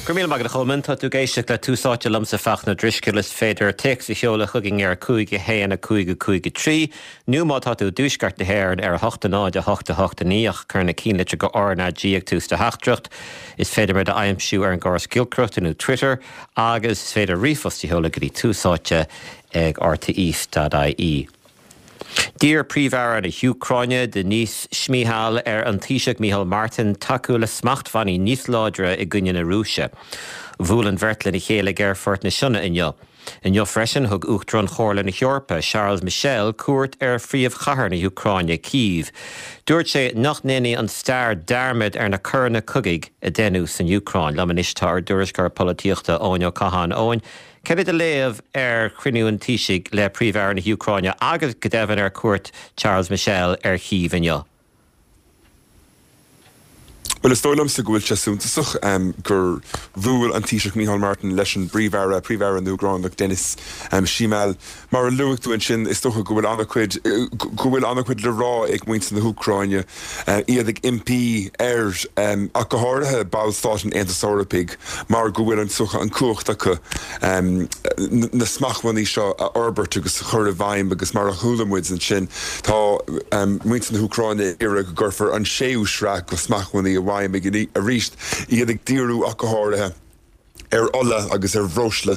Go raibh míle maith agat a Cholmáin. Tá tú ag éisteacht le Tús Áite liomsa Fachtna Ó Drisceoil. Is féidir téacs a sheoladh chugainn ar 5 1 5 5 3 nó má tá tú i dtuaisceart na hÉireann ar 8 0 8 8 9 ach cuir na cinnlitreacha RnaG ag tús do theachtaireacht. Is féidir muid a aimsiú ar an gcóras giolcaireachta nó Twitter agus is féidir ríomhphost a sheoladh go dtí túsáite ag rte.ie. D'iarr Príomh-Aire na hÚcráine, Denys Shmyhal, ar an Taoiseach Micheál Martin tacú le smachtbhannaí níos láidre i gcoinne na Rúise. Bhuail an bheirt lena chéile ag Aerfort na Sionna inniu. Inniu freisin, thug Uachtarán Chomhairle na hEorpa, Charles Michel, cuairt ar phríomhchathair na hÚcráine, Cív. Dúirt sé nach ndéanfaidh an stair dearmad ar na coireanna cogaidh a deineadh san Úcráin. Liom anois tá ár dtuairisceoir polaitíochta, Eoin Ó Catháin. Eoin, Cad é do léamh ar chruinniú an Taoisigh le Príomh-Aire na hÚcráine agus go deimhin ar chuairt Charles Michel ar Chív inniu? Bhuel, is dóigh liomsa go bhfuil sé suntasach gur bhuail an Taoiseach Micheál Martin leis an bPríomh-Aire, Príomh-Aire na hÚcráineach, Denys Shmyhal. Mar a luaigh tú ansin, is dócha go bhfuil an-chuid, go bhfuil an-chuid le rá ag muintir na hÚcráine, iad ag impí ar, ach go háirithe, ballstáit an Aontais Eorpaigh, mar go bhfuil an an chumhacht acu na smachtbhannaí seo a fhorbairt agus a chur i bhfeidhm agus mar a chuala muid ansin tá muintir na hÚcráine ag iarraidh go gcuirfear an séú sraith de smachtbhannaí i bhfeidhm arís, iad ag díriú ach go háirithe ar ola agus ar bhreosla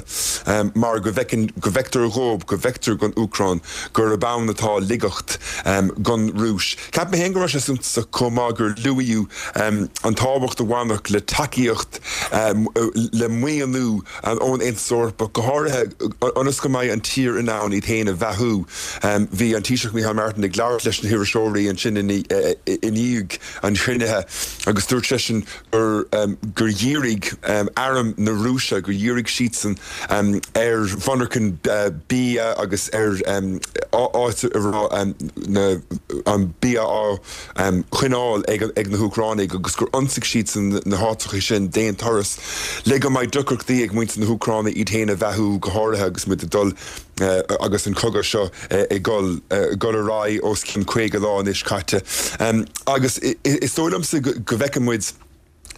mar go bhfeiceann, go bhfeictear dhóibh, go bhfeictear don Úcráin gurb ann atá laigeacht don Rúis. Cheap mé féin go raibh sé suntasach chomh maith gur luaíodh an tábhacht a bhainfeadh le tacaíocht, le maoiniú ón Aontas Eorpach, go háirithe ionas go mbeidh an tír in ann iad féin a bheathú. Bhí an Taoiseach Micheál Martin ag labhairt leis na hiriseoirí ansin i ndiaidh an chruinnithe agus dúirt seisean gur gur dhírigh arm na Rúise, gur dhírigh siadsan ar mhonarchain bia agus ar áit a raibh an bia á choinneáil ag na hÚcránaigh agus gur ionsaigh siadsan na háiteacha sin d'aon turas le go mbeidh deacrachtaí ag muintir na hÚcráine iad féin a bheathú, go háirithe agus muid ag dul agus an cogadh seo ag dul ar aghaidh os cionn 50 lá anois caite. Agus is dóigh liomsa go bhfeiceann muid,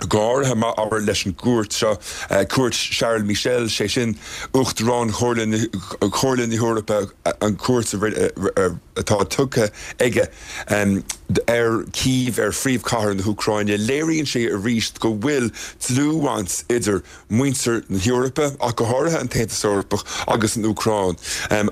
go háirithe má abair leis an gcuairt seo, cuairt Charles Michel, sé sin Uachtarán Chomhairle na hEorpa, an chuairt atá tugtha aige ar Kyiv, ar phríomhchathair na hÚcráine, léiríonn sé arís go bhfuil dlúthbhaint idir muintir na hEorpa, ach go háirithe an tAontas Eorpach agus an Úcráin.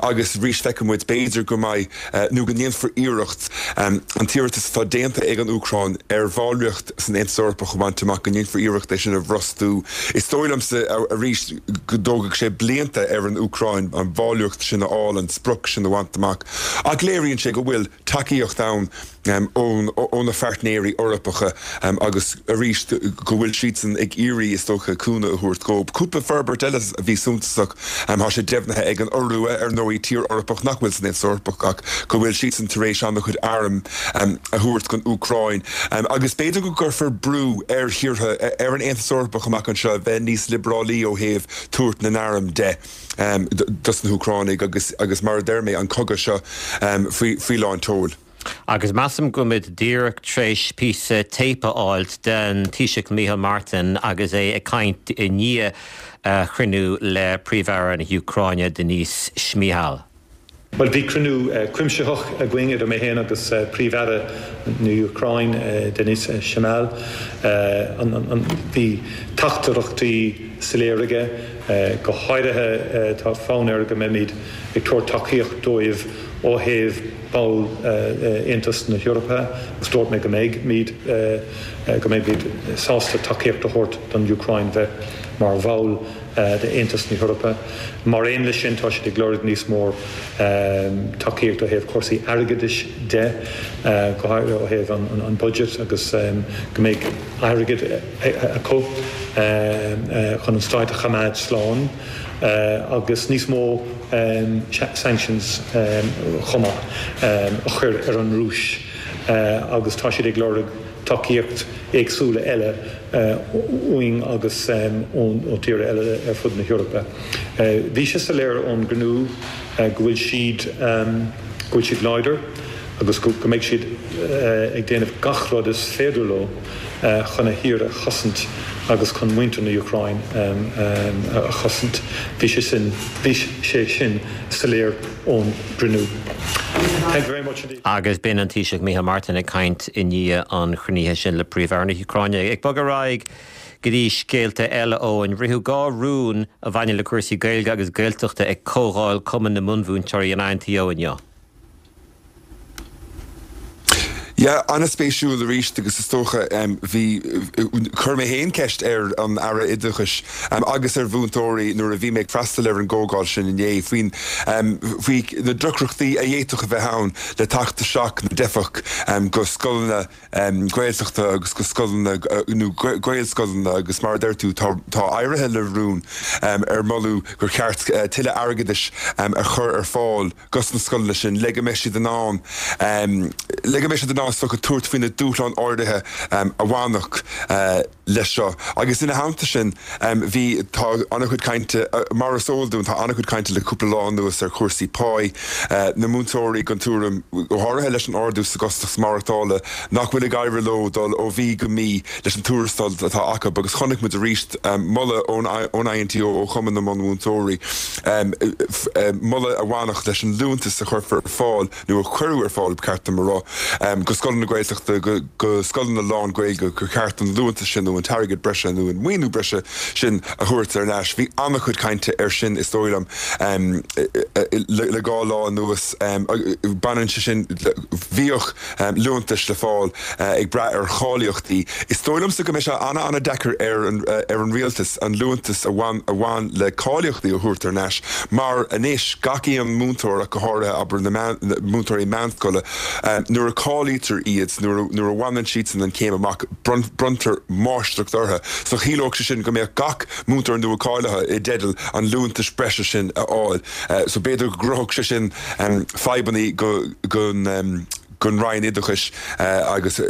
Agus arís feicfidh muid, b'fhéidir go mbeidh, nó go ndéanfar iarracht an t-iarratas atá déanta ag an Úcráin ar bhallraíocht san Aontas Eorpach a bhaint amach, go ndéanfar iarracht é sin a bhrostú. Is dóigh liomsa, arís, go dtógfaidh sé blianta ar an Úcráin an bhallraíocht sin a fháil, an sprioc sin a bhaint amach. Ach léiríonn sé go bhfuil tacaíocht ann ó na phairtnéirí Eorpacha agus arís go bhfuil siadsan ag iarraidh, is dócha, cúnamh a thabhairt dhóibh. Cúpla forbairt eile a bhí suntasach, tá sé deimhnithe ag an Iorua, ar ndóigh, tír Eorpach nach bhfuil san Aontas Eorpach ach go bhfuil siadsan tar éis an-chuid arm a thabhairt don Úcráin agus b'fhéidir go gcuirfear brú ar thíortha, ar an Aontas Eorpach amach anseo a bheith níos liobrálaí ó thaobh tabhairt na n-arm de. dos na hÚcránaigh agus, agus mar a deir mé, an cogadh seo faoi, faoi lán tseoil. Agus measaim go bhfuilimid díreach tréis píosa téip a fháilt den Taoiseach Micheál Martin agus é ag caint i ndiaidh a chruinniú le Príomh-Aire na hÚcráine Denys Shmyhal. Bhuel, bhí cruinniú cuimsitheach againn idir mé féin agus Príomh-Aire na hÚcráine, Denys Shmyhal. Bhí teachtaireachtaí soiléir aige, go háirithe tá fonn air go mbeimid ag tabhairt tacaíocht dóibh ó thaobh ball Aontas na hEorpa agus dúirt mé go mbeimid go mbeimid sásta tacaíocht a thabhairt don Úcráin bheith mar bhall d'Aontas na hEorpa. Mar aon leis sin, tá siad ag lorg níos mó tacaíocht ó thaobh cúrsaí airgeadais de, go háirithe ó thaobh an budget agus go mbeidh airgead acu chun an stát a choimeád slán agus níos mó sanctions chomh maith a chur ar an Rúis agus tá siad ag lorg tacaíocht éagsúla eile uainn agus ó tíortha eile ar fud na hEorpa. Bhí sé soiléir ón gcruinniú go bhfuil siad go bhfuil siad láidir agus go mbeidh siad. ag déanamh gach rud is féidir leo chun a thír a chosaint agus chun muintir na Úcráine a chosaint. Bhí sé sin, bhí sé sin soiléir ón gcruinniú. Thank you very much indeed. Agus b'in an Taoiseach Micheál Martin ag caint i ndiaidh an chruinnithe sin le Príomh-Aire na hÚcráine. Ag bogadh ar aghaidh go dtí scéalta eile, Eoin. Ritheadh 2 rún a bhaineann le cúrsaí Gaeilge agus Gaeltachta ag Comhdháil Cumann na Bunmhúinteoirí an INTO inniu. Yeah, an-spéisiúil arís agus is dócha bhí, chuir mé féin ceist ar an Aire Oideachais agus ar mhúinteoirí nuair a bhí mé ag freastal ar an gcomhdháil sin inné faoin, faoi na deacrachtaí a d'fhéadfadh a bheith ann le teacht isteach na dteifeach go scoileanna Gaeltachta agus go scoileanna nó Gaelscoileanna agus mar a deir tú tá, tá éirithe le rún ar moladh gur cheart tuilleadh airgeadais a chur ar fáil dos na scoileanna sin le go mbeidh siad in ann le go mbeidh siad in ann is dócha tabhairt faoi na dúshláin áirithe a bhainfeadh leis seo. Agus ina theannta sin bhí, tá an-chuid cainte, mar is eol dúinn, tá an-chuid cainte le cúpla lá anuas ar chúrsaí páí, na múinteoirí den tuairim, go háirithe leis an ardú sa gcostas maireachtála, nach bhfuil ag éirí leo dul ó mhí go mí leis an tuarastal atá acu agus chonaic muid arís moladh ón INTO, ó Chumann na mBunmhúinteoirí, moladh a bhainfeadh leis an liúntas a chuirfear ar fáil, nó a cuireadh ar fáil, ba cheart dom a rá, go scoileanna Gaeltachta, go scoileanna lán-Ghaeilge, gur cheart an liúntas sin nó an t-airgead breise nó an maoiniú breise sin a thabhairt ar ais. Bhí an-chuid cainte air sin, is dóigh liom, le dhá lá anuas. Baineann sé sin, bhíodh. liúntais le fáil ag brath ar cháilíochtaí. Is dóigh liomsa go mbeidh sé an-an-deacair ar ar an rialtas an liúntas a bhain a bhain le cáilíochtaí a thabhairt thar n-ais mar anois gach aon múinteoir ach go háirithe abair na múinteoirí meánscoile nuair a cáilítear iad nuair a nuair a bhaineann siadsan an chéim amach bronntar máistreacht orthu. So chiallódh sé sin go mbeadh gach múinteoir nua cáilithe i dteideal an liúntais breise sin a fháil. So b'fhéidir go gcruthódh sé sin fadhbanna don Roinn Oideachais agus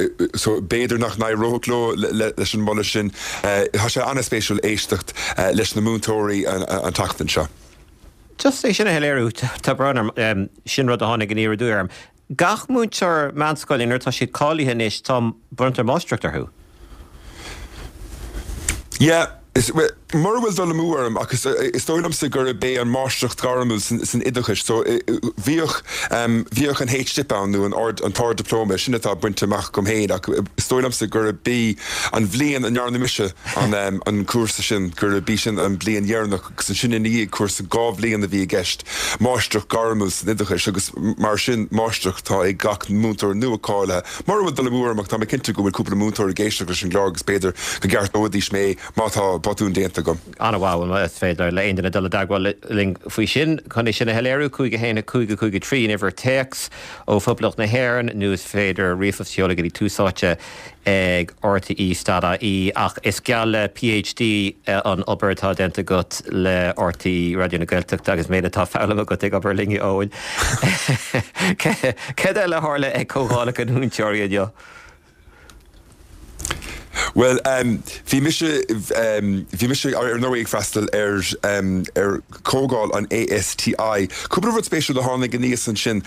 so b'fhéidir nach n-éireodh leo leis an moladh sin. Tá sé an-spéisiúil éisteacht leis na múinteoirí an tseachtain seo. Just é sin a shoiléiriú, tá brón orm, sin rud a tháinig aniar aduaidh orm. Gach múinteoir meánscoile nuair atá siad cáilithe anois tá, bronntar máistreacht orthu. Yeah, is, mura bhfuil dul amú orm, ach is, is dóigh liomsa gurb é an máistreacht ghairmiúil san, san oideachais, so bhíodh, bhíodh an H-Dip ann nó an ard, an tArd-Dioplóma, sin atá bainte amach agam féin ach is dóigh liomsa gurb í an bhliain a ndearna mise an, an cúrsa sin, gurb í sin an bhliain dheireanach agus ansin ina dhiaidh cúrsa 2 bhliain a bhí i gceist, máistreacht ghairmiúil san oideachais agus mar sin máistreacht atá ag gach múinteoir nua cáilithe. Mura bhfuil dul amú orm ach tá mé cinnte go bhfuil cúpla múinteoir ag éisteacht leis an gclár agus b'fhéidir go gceartóidís mé má tá botún déanta agam. An-mhaith, bhuel is féidir le aon duine dul i dteagmháil linn faoi sin chun é sin a shoiléiriú, 5 1 5 5 3 an uimhir téacs ó Phoblacht na hÉireann nó is féidir ríomhphost a sheoladh go dtí Tús Áite ag RTÉ dot ie ach is geall le PhD an obair atá déanta agat le RTÉ Raidió na Gaeltachta agus méid atá foghlamtha agat ag obair linn, a Eoin. Céard eile a tharla ag comhdhálacha na múinteoirí inniu? Bhuel, bhí mise, bhí mise ar ndóigh ag freastal ar, ar chomhdháil an ASTI. Cúpla rud spéisiúil a tháinig aníos ansin.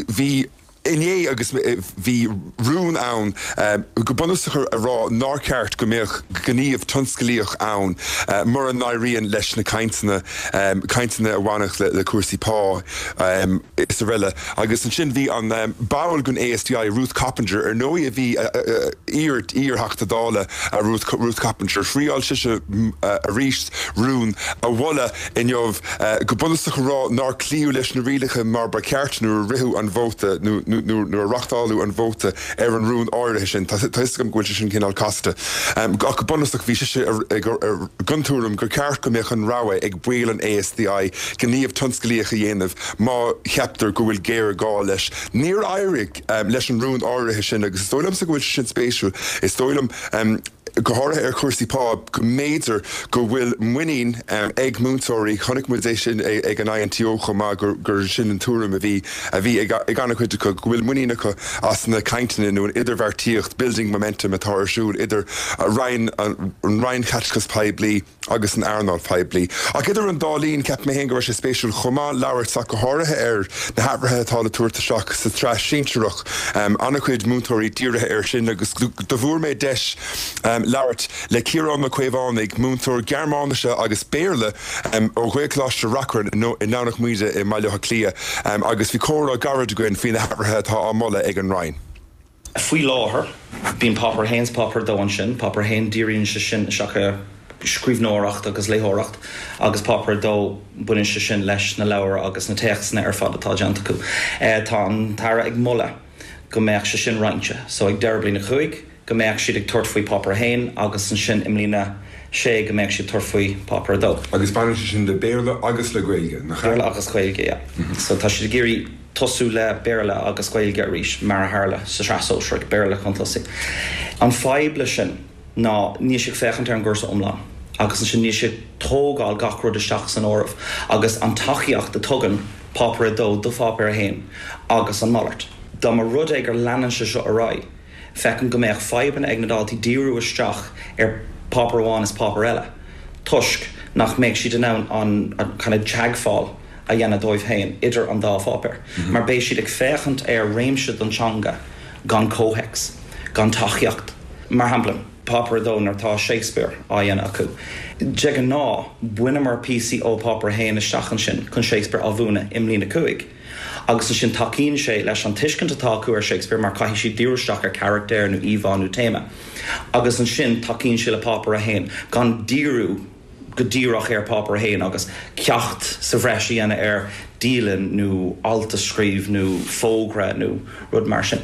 Bhí. inné agus bhí rún ann go bunúsach a rá nár cheart go mbeadh gníomh tionsclaíoch ann mura n-éiríonn leis na cainteanna, cainteanna a bhainfeadh le cúrsaí pá is araile. Agus ansin bhí an ball den ASTI, Ruth Coppinger, ar ndóigh a bhí iar, iar-Theachta Dála Ruth, Ruth Coppinger, thriáil sise arís rún a mholadh inniu, go bunúsach a rá nár cloíodh leis na rialacha mar ba cheart nuair a ritheadh an vóta nó nuair a reachtáladh an vóta ar an rún áirithe sin. Tá a fhios agam go bhfuil sé sin cineál casta. Ach go bunúsach bhí sise den tuairim gur ceart go mbeadh an rogha ag baill an ASTI gníomh tionsclaíoch a dhéanamh má cheaptar go bhfuil géarghá leis. Níor éirigh leis an rún áirithe sin agus is dóigh liomsa go bhfuil sé sin spéisiúil. Is dóigh liom. Go háirithe ar chúrsaí pá, go mb'fhéidir go bhfuil muinín ag múinteoirí, chonaic muid é sin ag an INTO chomh maith, gur sin an tuairim a bhí a bhí ag an-chuid acu, go bhfuil muinín acu as na cainteanna nó an idirbheartaíocht, building momentum, atá ar siúl idir Roinn, an Roinn Chaiteachais Poiblí agus an earnáil phoiblí. Ach idir an dá linn, cheap mé féin go raibh sé spéisiúil chomh maith labhairt ach go háirithe ar na hathruithe atá le tabhairt isteach sa tsraith shinsearach. An-chuid múinteoirí dírithe air sin agus do fuair mé deis labhairt le Ciarán Mac Caomhánaigh, múinteoir Gearmáinise agus Béarla ó Ghaelcholáiste Reachrann i nDomhnach Míde i mBaile Átha Cliath agus bhí comhrá gairid againn faoi na hathruithe atá á moladh ag an Roinn. Faoi láthair, bíonn Páipéar 1 's Páipéar 2 ansin. Páipéar 1, díríonn sé sin isteach ar scríbhneoireacht agus léitheoireacht agus Páipéar 2, baineann sé sin leis na leabhair agus na téacsanna ar fad atá déanta acu. Tá an tAire ag moladh go mbeadh sé sin roinnte. So ag deireadh bliain a 5, go mbeadh siad ag tabhairt faoi Páipéar 1 agus ansin i mbliain a 6 go mbeadh siad ag tabhairt faoi Páipéar 2. Agus baineann sé sin le Béarla agus le Gaeilge, nach ea? Béarla agus Gaeilge, yeah. So tá siad ag iarraidh tosú le Béarla agus Gaeilge arís, mar a tharla sa tSraith Sóisearach, Béarla chun tosaigh. An fadhb leis sin ná níl sé ag féachaint ar an gcúrsa iomlán agus ansin níl sé ag tógáil gach rud isteach san áireamh agus an tacaíocht a tugann Páipéar 2 do Pháipéar 1 agus an malairt. Dá mba rud é gur leanann sé seo ar aghaidh, feicim go mbeadh fadhbanna ag na daltaí díriú isteach ar pháipéar amháin is páipéar eile toisc nach mbeidh siad in ann an kind of teagmháil a dhéanamh dóibh féin idir an dá pháipéar mar beidh siad ag féachaint ar réimse den teanga gan comhthéacs, gan tacaíocht. Mar shampla, Páipéar 2 nuair atá Shakespeare á dhéanamh acu, de ghnáth baineamar píosaí ó Pháipéar 1 isteach ansin chun Shakespeare á mhúineadh i mbliain 5. Agus ansin tacaíonn sé leis an tuiscint atá acu ar Shakespeare mar caithfidh siad díriú isteach ar charachtair nó íomhá nó téama. Agus ansin tacaíonn sé le Páipéar 1 gan díriú go díreach ar Pháipéar 1 agus ceacht sa bhreis a dhéanamh ar dialann nó alt a scríobh nó fógra nó rud mar sin.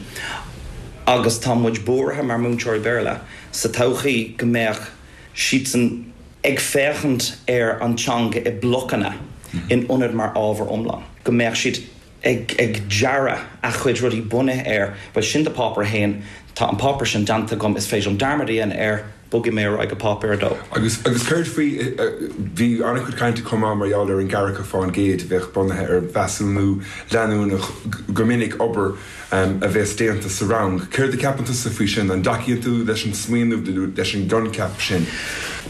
Agus tá muid buartha mar múinteoirí Béarla sa todhchaí go mbeadh siadsan ag féachaint ar an teanga i blocanna in ionad mar ábhar iomlán, go mbeadh siad ag ag dearadh a chuid rudaí bunaithe ar, bhuel sin do Páipéar 1, tá an páipéar sin déanta agam, is féidir liom dearmad a dhéanamh air, bogfaidh mé ar aghaidh go Páipéar 2. Agus agus céard faoi, bhí an-chuid cainte chomh maith mar gheall ar an gceathracha fán gcéad a bheadh bunaithe ar mheasúnú leanúnach, go minic obair a bheas déanta sa rang. Céard a cheapann tusa faoi sin? An dtacaíonn tú leis an smaoineamh nó leis an gcoincheap sin?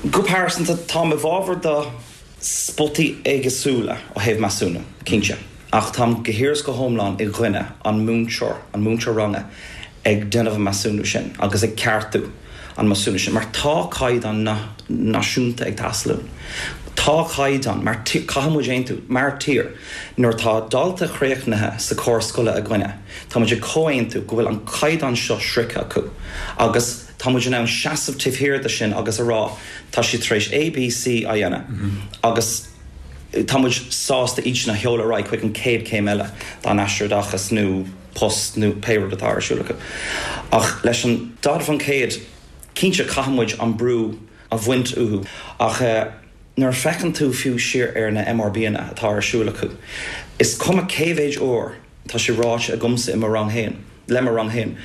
Go pearsanta, táim i bhfabhar do spotaí éagsúla ó thaobh measúnú, cinnte, ach táim go huile is go hiomlán i gcoinne an múinteoir, an múinteoir ranga, ag déanamh an measúnú sin agus ag ceartú an measúnú sin mar tá caighdeán náisiúnta ag teastáil uainn. Tá caighdeán mar caithfidh muid aontú mar tír nuair atá dalta chríochnaithe sa córas scoile againne tá muid ag comhaontú go bhfuil an caighdeán seo sroichte acu agus tá muid in ann seasamh taobh thiar de sin agus a rá tá siad tar éis A, B, C a dhéanamh agus tá muid sásta iad sin a sheoladh ar aghaidh chuig an chéad chéim eile dá n-aistear oideachais nó post nó pé rud atá ar siúl acu. Ach leis an 40%, cinnte caithfidh muid an brú a bhaint uathu ach nuair a feiceann tú fiú siar ar na MRBanna atá ar siúl acu, is cuma cé mhéid uair tá sé ráite agamsa i mo rang féin, le mo rang féin,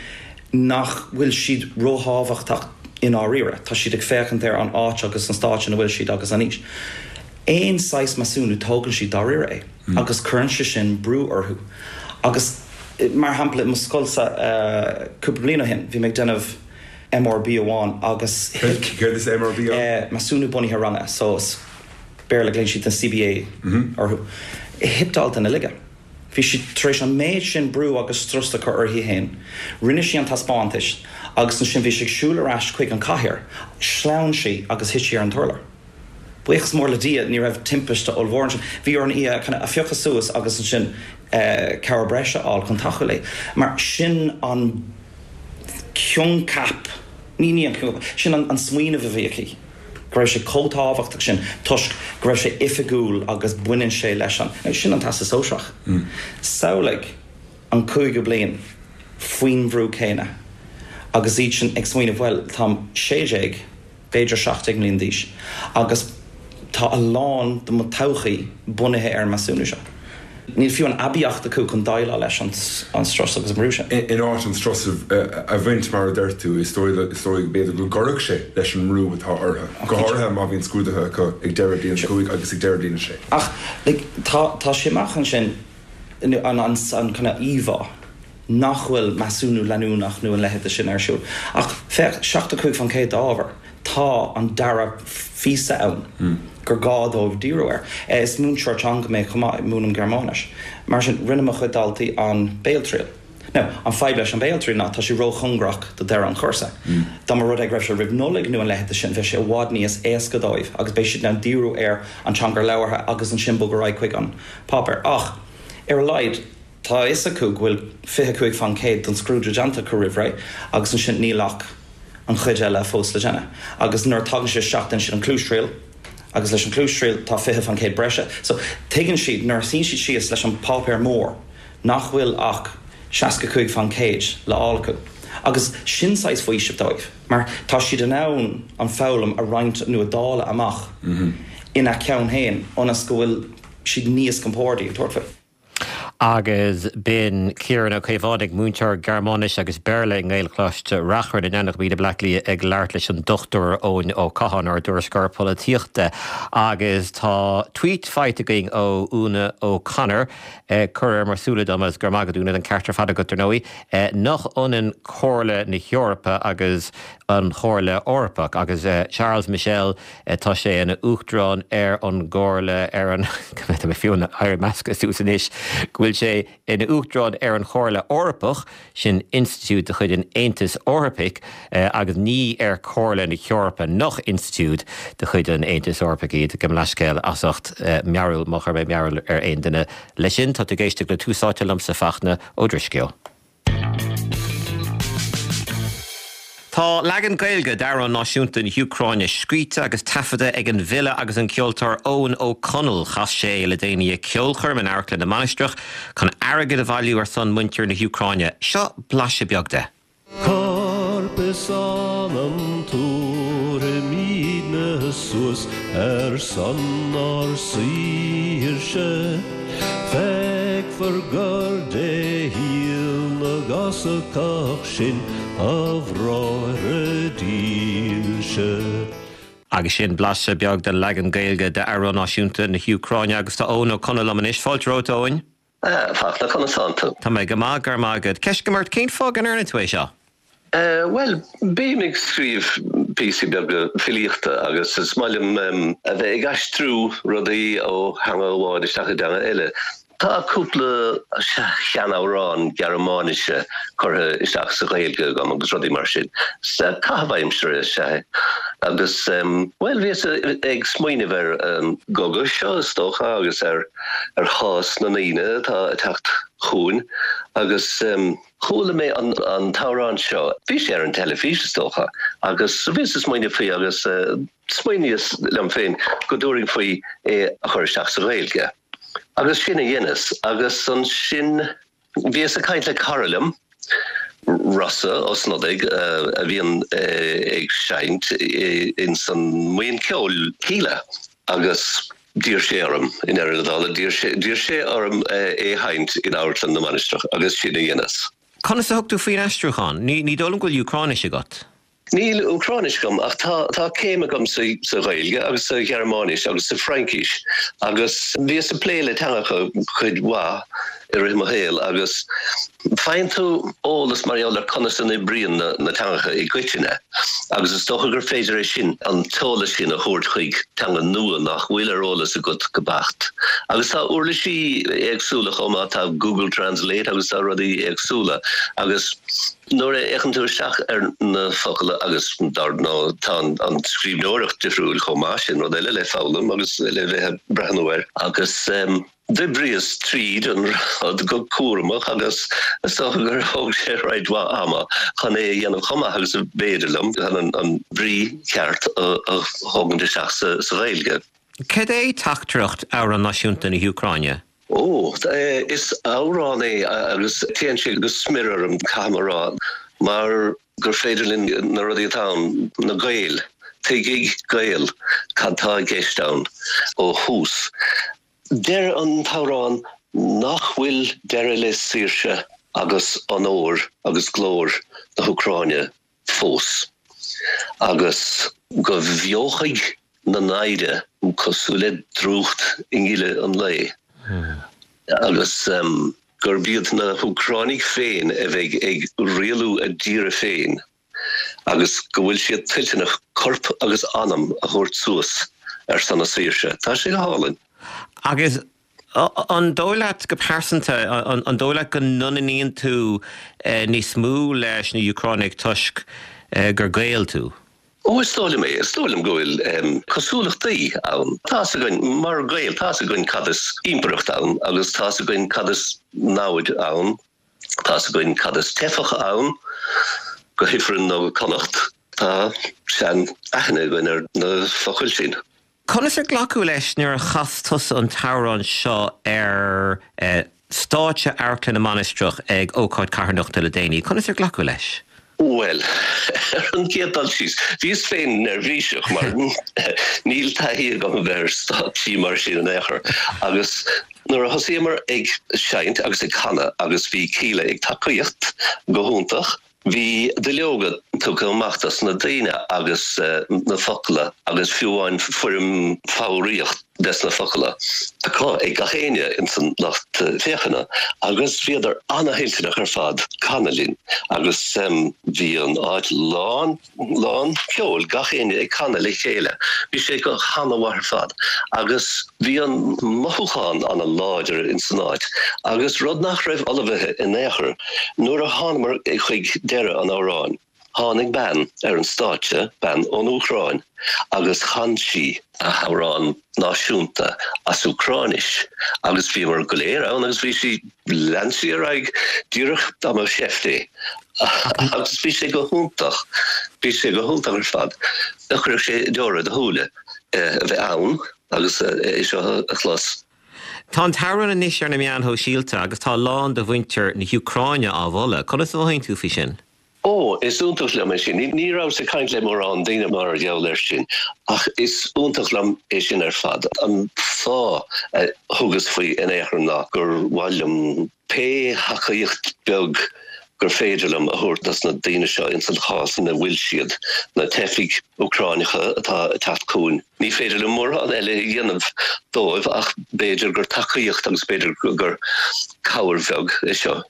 nach bhfuil siad róthábhachtach i ndáiríre. Tá siad ag féachaint ar an áit agus an stáit ina bhfuil siad agus an aois. Aon saghas measúnú tógann siad dáiríre é agus cuireann sé sin brú orthu. Agus mar shampla i mo scoilsa cúpla bliain ó shin bhí mé ag déanamh MRB amháin agus thit. Céard is MRB ann? Measúnú Bunaithe Ranga, so as Béarla glaonn siad na CBA orthu. Thit dalta ina laige. Bhí sí tar éis an méid sin brú agus strus a chur uirthi féin. Rinne sí an taispeántas agus ansin bhí sí ag siúl ar ais chuig an cathaoir, shleamhain sí agus thit sí ar an t-urlár. Buíochas mór le Dia ní raibh timpiste ollmhór ansin. Bhí orainn í a kind of a phiocadh suas agus ansin cabhair breise a fháil chun tacú léi. Mar sin an coincheap, ní ní an coincheap, sin an smaoineamh a bhí aici, go raibh sé chomh tábhachtach sin toisc go raibh sé oifigiúil agus baineann sé leis an, sin an Teastas Sóisearach. Samhlaigh an cúigiú bliain faoin bhrú céanna agus iad sin ag smaoineamh bhuel táim 16, b'fhéidir 17 mbliana d'aois, agus tá a lán de mo todhchaí bunaithe ar an measúnú seo. Níl fiú an aibíocht acu chun déileáil leis an strus agus an brú sin. In áit an strus a bhaint, mar a deir tú, is dóigh go b'fhéidir go gcuirfeadh sé leis an mbrú atá orthu, go háirithe má bhíonn scrúduithe acu ag deireadh bliain a 5 agus ag deireadh bliain a 6. Ach like tá tá sé amach ansin an an kind of íomhá nach bhfuil measúnú leanúnach nó a leithéid de sin ar siúl. Ach féach, 75% d'ábhar. Tá an dara phíosa ann gur gá dóibh díriú air. Is múinteoir teanga mé chomh maith, múinim Gearmáinis. Mar sin, rinne mo chuid daltaí an béaltriail. Now, an fadhb leis an béaltriail ná tá sé róchóngarach do deireadh an chúrsa. Dá mba rud é go raibh sé roimh Nollaig nó a leithéid de sin, bheadh sé i bhfad níos éasca dóibh agus beidh siad in ann díriú ar an teanga labhartha agus ansin bogadh ar aghaidh chuig an páipéar. Ach, ar a laghad, tá a fhios acu go bhfuil 25% den scrúdú déanta acu roimh ré agus ansin níl ach an chuid eile fós le déanamh. Agus nuair a tagann siad isteach déanann siad an cluastriail agus leis an cluastriail tá 20% breise. So tuigeann siad nuair a shuíonn siad síos leis an páipéar mór nach bhfuil ach 65% le fháil acu. Agus sin saghas faoiseamh dóibh mar tá siad in ann an foghlaim a roinnt nó a dháileadh amach ina gceann féin ionas go bhfuil siad níos compordaí ag tabhairt faoi. Agus b'in Ciarán Ó Caomhánaigh, múinteoir Gearmáinise agus Béarla i nGaelcholáiste Reachrann in Eanach Mhíde, Bleá Cliath ag labhairt leis an Dr Eoin Ó Catháin, ár dtuairisceoir polaitíochta. Agus tá tweet faighte againn ó Úna O'Connor, cur ar mo shúile dom, agus go raibh maith agat Úna, an ceart ar fad agat dar ndóigh, nach ionann Comhairle na hEorpa agus an Chomhairle Eorpach agus Charles Michel Tá sé ina Uachtarán ar an gComhairle ar an, tá mé fiú ag éirí measctha suas anois, go bhfuil sé ina Uachtarán ar an Chomhairle Eorpach, sin institiúid de chuid an Aontais Eorpaigh, agus ní ar Chomhairle na hEorpa, nach institiúid de chuid an Aontais Eorpaigh iad. Gabh mo leithscéal as ucht mearbhall, má chuir mé mearbhall ar aon duine leis sin. Tá tú ag éisteacht le Tús Áite liomsa, Fachtna Ó Drisceoil. Tá leagan Gaeilge d'amhrán náisiúnta na hÚcráine scríte agus taifeadta ag an bhfile agus an ceoltóir Eoin Ó Conaill. Chas sé é le déanaí ag ceolchoirm in Amharclann na Mainistreach chun airgead a bhailiú ar son muintir na hÚcráine. Seo blaiseadh beag de. Corp is anam tabharfaimídne suas ar son ár saoirse. Feicfear gur de shíol na gCosacach sinn, a bhráithre dílse. Agus sin blaiseadh beag den leagan Gaeilge d'amhrán náisiúnta na hÚcráine agus tá Eoin Ó Conaill liom anois. Fáilte romhat, a Eoin. A Fhachtna, conas tánn tú? Tá mé go maith, go raibh maith agat. Ceist agam ort, cén fáth go ndearna tú é seo? Bhuel, bím ag scríobh píosaí beaga filíochta agus is maith liom a bheith ag aistriú rudaí ó theanga amháin isteach i dteanga eile. Tá cúpla seanamhrán Gearmáinise curtha isteach sa Ghaeilge agam agus rudaí mar sin. Caitheamh aimsire is ea é. Agus, bhuel, bhíos ag smaoineamh ar an gcogadh seo, is dócha, agus ar. ar chás na ndaoine atá ag teacht chugainn agus chuala mé an t-amhrán seo, bhí sé ar an teilifís is dócha, agus bhíos ag smaoineamh faoi agus smaoiníos liom féin go dtabharfainn faoi é a chur isteach sa Ghaeilge. Agus sin a dheineas agus ansin Bhíos ag caint le cara liom, Rossa Ó Snodaigh, a bhíonn ag seinnt ins an mbuíon ceoil Kíla agus d'iarr sé orm, i ndeireadh na dála, d'iarr sé orm é a sheinnt in Amharclann na Mainistreach agus sin a dheineas. Conas a thug tú faoin aistriúchán? Ní dóigh liom go bhfuil Úcráinis agat. Níl Úcráinis agam ach tá tá céim agam sa sa Ghaeilge agus sa Ghearmáinis agus sa Fhraincis agus bhíos ag plé le teangacha cuid mhaith i rith mo shaoil agus faigheann tú eolas mar gheall ar conas a n-oibríonn na na teangacha i gcoitinne agus is dócha gur féidir é sin, an t-eolas sin a thabhairt chuig teanga nua nach bhfuil ar eolas agat go beacht. Agus tá uirlisí éagsúla chomh maith, tá Google Translate agus tá rudaí éagsúla agus. Nuair a fhéachann tú isteach ar na focail agus dar ndóigh tá an scríbhneoireacht difriúil chomh maith, sin rud eile le foghlaim agus le bheith ag breathnú air. Agus d'oibríos tríd an rud go cúramach agus is dócha gur thóg sé roinnt mhaith ama chun é a dhéanamh chomh maith agus a b'fhéidir liom, chun an bhrí cheart a thógaint isteach sa Ghaeilge. Cad é teachtaireacht Amhrán Náisiúnta na hÚcráine? Ó, is amhrán é agus téann sé go smior orm, caithfidh mé a rá, mar gur féidir linn na rudaí atá ann, na Gaeil, tuigfidh Gael cad tá i gceist ann ó thús. Deir an t-amhrán. Nach bhfuil deireadh le saoirse agus onóir agus glóir na hÚcráine fós, agus go bhfeofaidh na naimhde cosúil le drúcht i ngile an lae, agus gurb iad na hÚcránaigh féin a bheidh ag rialú a dtíre féin, agus go bhfuil siad toilteanach corp agus anam a thabhairt suas ar son a saoirse. Tá sé go hálainn. Agus An dóigh leat go pearsanta, an dóigh leat go n-ionainníonn tú níos mó leis na Úcránaigh toisc gur Gael tú? Ó, is dóigh liom é. Is dóigh liom go bhfuil cosúlachtaí ann. Tá's againn, mar Ghaeil, tá's againn cad is impireacht ann agus tá's againn cad is namhaid ann. Tá's againn cad is teifeach ann, go hIfreann nó go Connacht. Tá sean-aithne againn ar na focail sin. Conas ar glacadh leis nuair a chas tusa an t-amhrán seo ar stáitse Amharclann na Mainistreach ag ócáid carthanachta le déanaí? Conas ar glacadh leis? Bhuel, ar an gcéad dul síos, bhíos féin neirbhíseach mar níl taithí agam a bheith ar stáitsí mar sin in aon chor. Agus nuair a thosaíomar ag seinnt agus ag canadh agus bhí Kíla ag tacaíocht go hiontach, Bhí duilleoga tugtha amach dos na daoine agus na focla agus fiú amháin foirm foghraíocht des na focla acu ag gach éinne ins an lucht féachana agus bhíodar ana-thoilteanach ar fad canadh linn agus bhí an áit lán lán ceoil, gach éinne ag canadh le chéile. Bhí sé go hana-mhaith ar fad agus bhí an mothúchán ana-láidir ins an áit agus rud nach raibh ullmhaithe in aon chor, nuair a thánamar chuig deireadh an amhráin, tháinig bean ar an stáitse, bean ón Úcráin, agus chan sí a hamhrán náisiúnta as Úcráinis agus bhíomar go léir ann agus bhí sí, lean sí ar aghaidh díreach dá mba sheift é agus bhí sé go hiontach, bhí sé go hiontach ar fad. Chuirfeadh sé deora i do shúile a bheith ann agus é seo a chlos. Tá an t-amhrán anois ar na meáin shóisialta agus tá a lán de mhuintir na hÚcráine á mholadh. Conas a mhothaíonn tú faoi sin? Ó, is iontach liom é sin. Ní rabhas ag caint le mórán daoine mar gheall air sin, ach is iontach liom é sin ar fad. An fáth a thugas faoi in aon chor ná gur mhaith liom pé thacaíocht beag gur féidir liom a thabhairt dos na daoine seo ins an chás ina bhfuil siad, na teifigh Úcráineacha atá ag teacht chugainn. Ní féidir liom mórán eile a dhéanamh dóibh ach b'fhéidir gur tacaíocht agus b'fhéidir gur cabhair bheag é seo.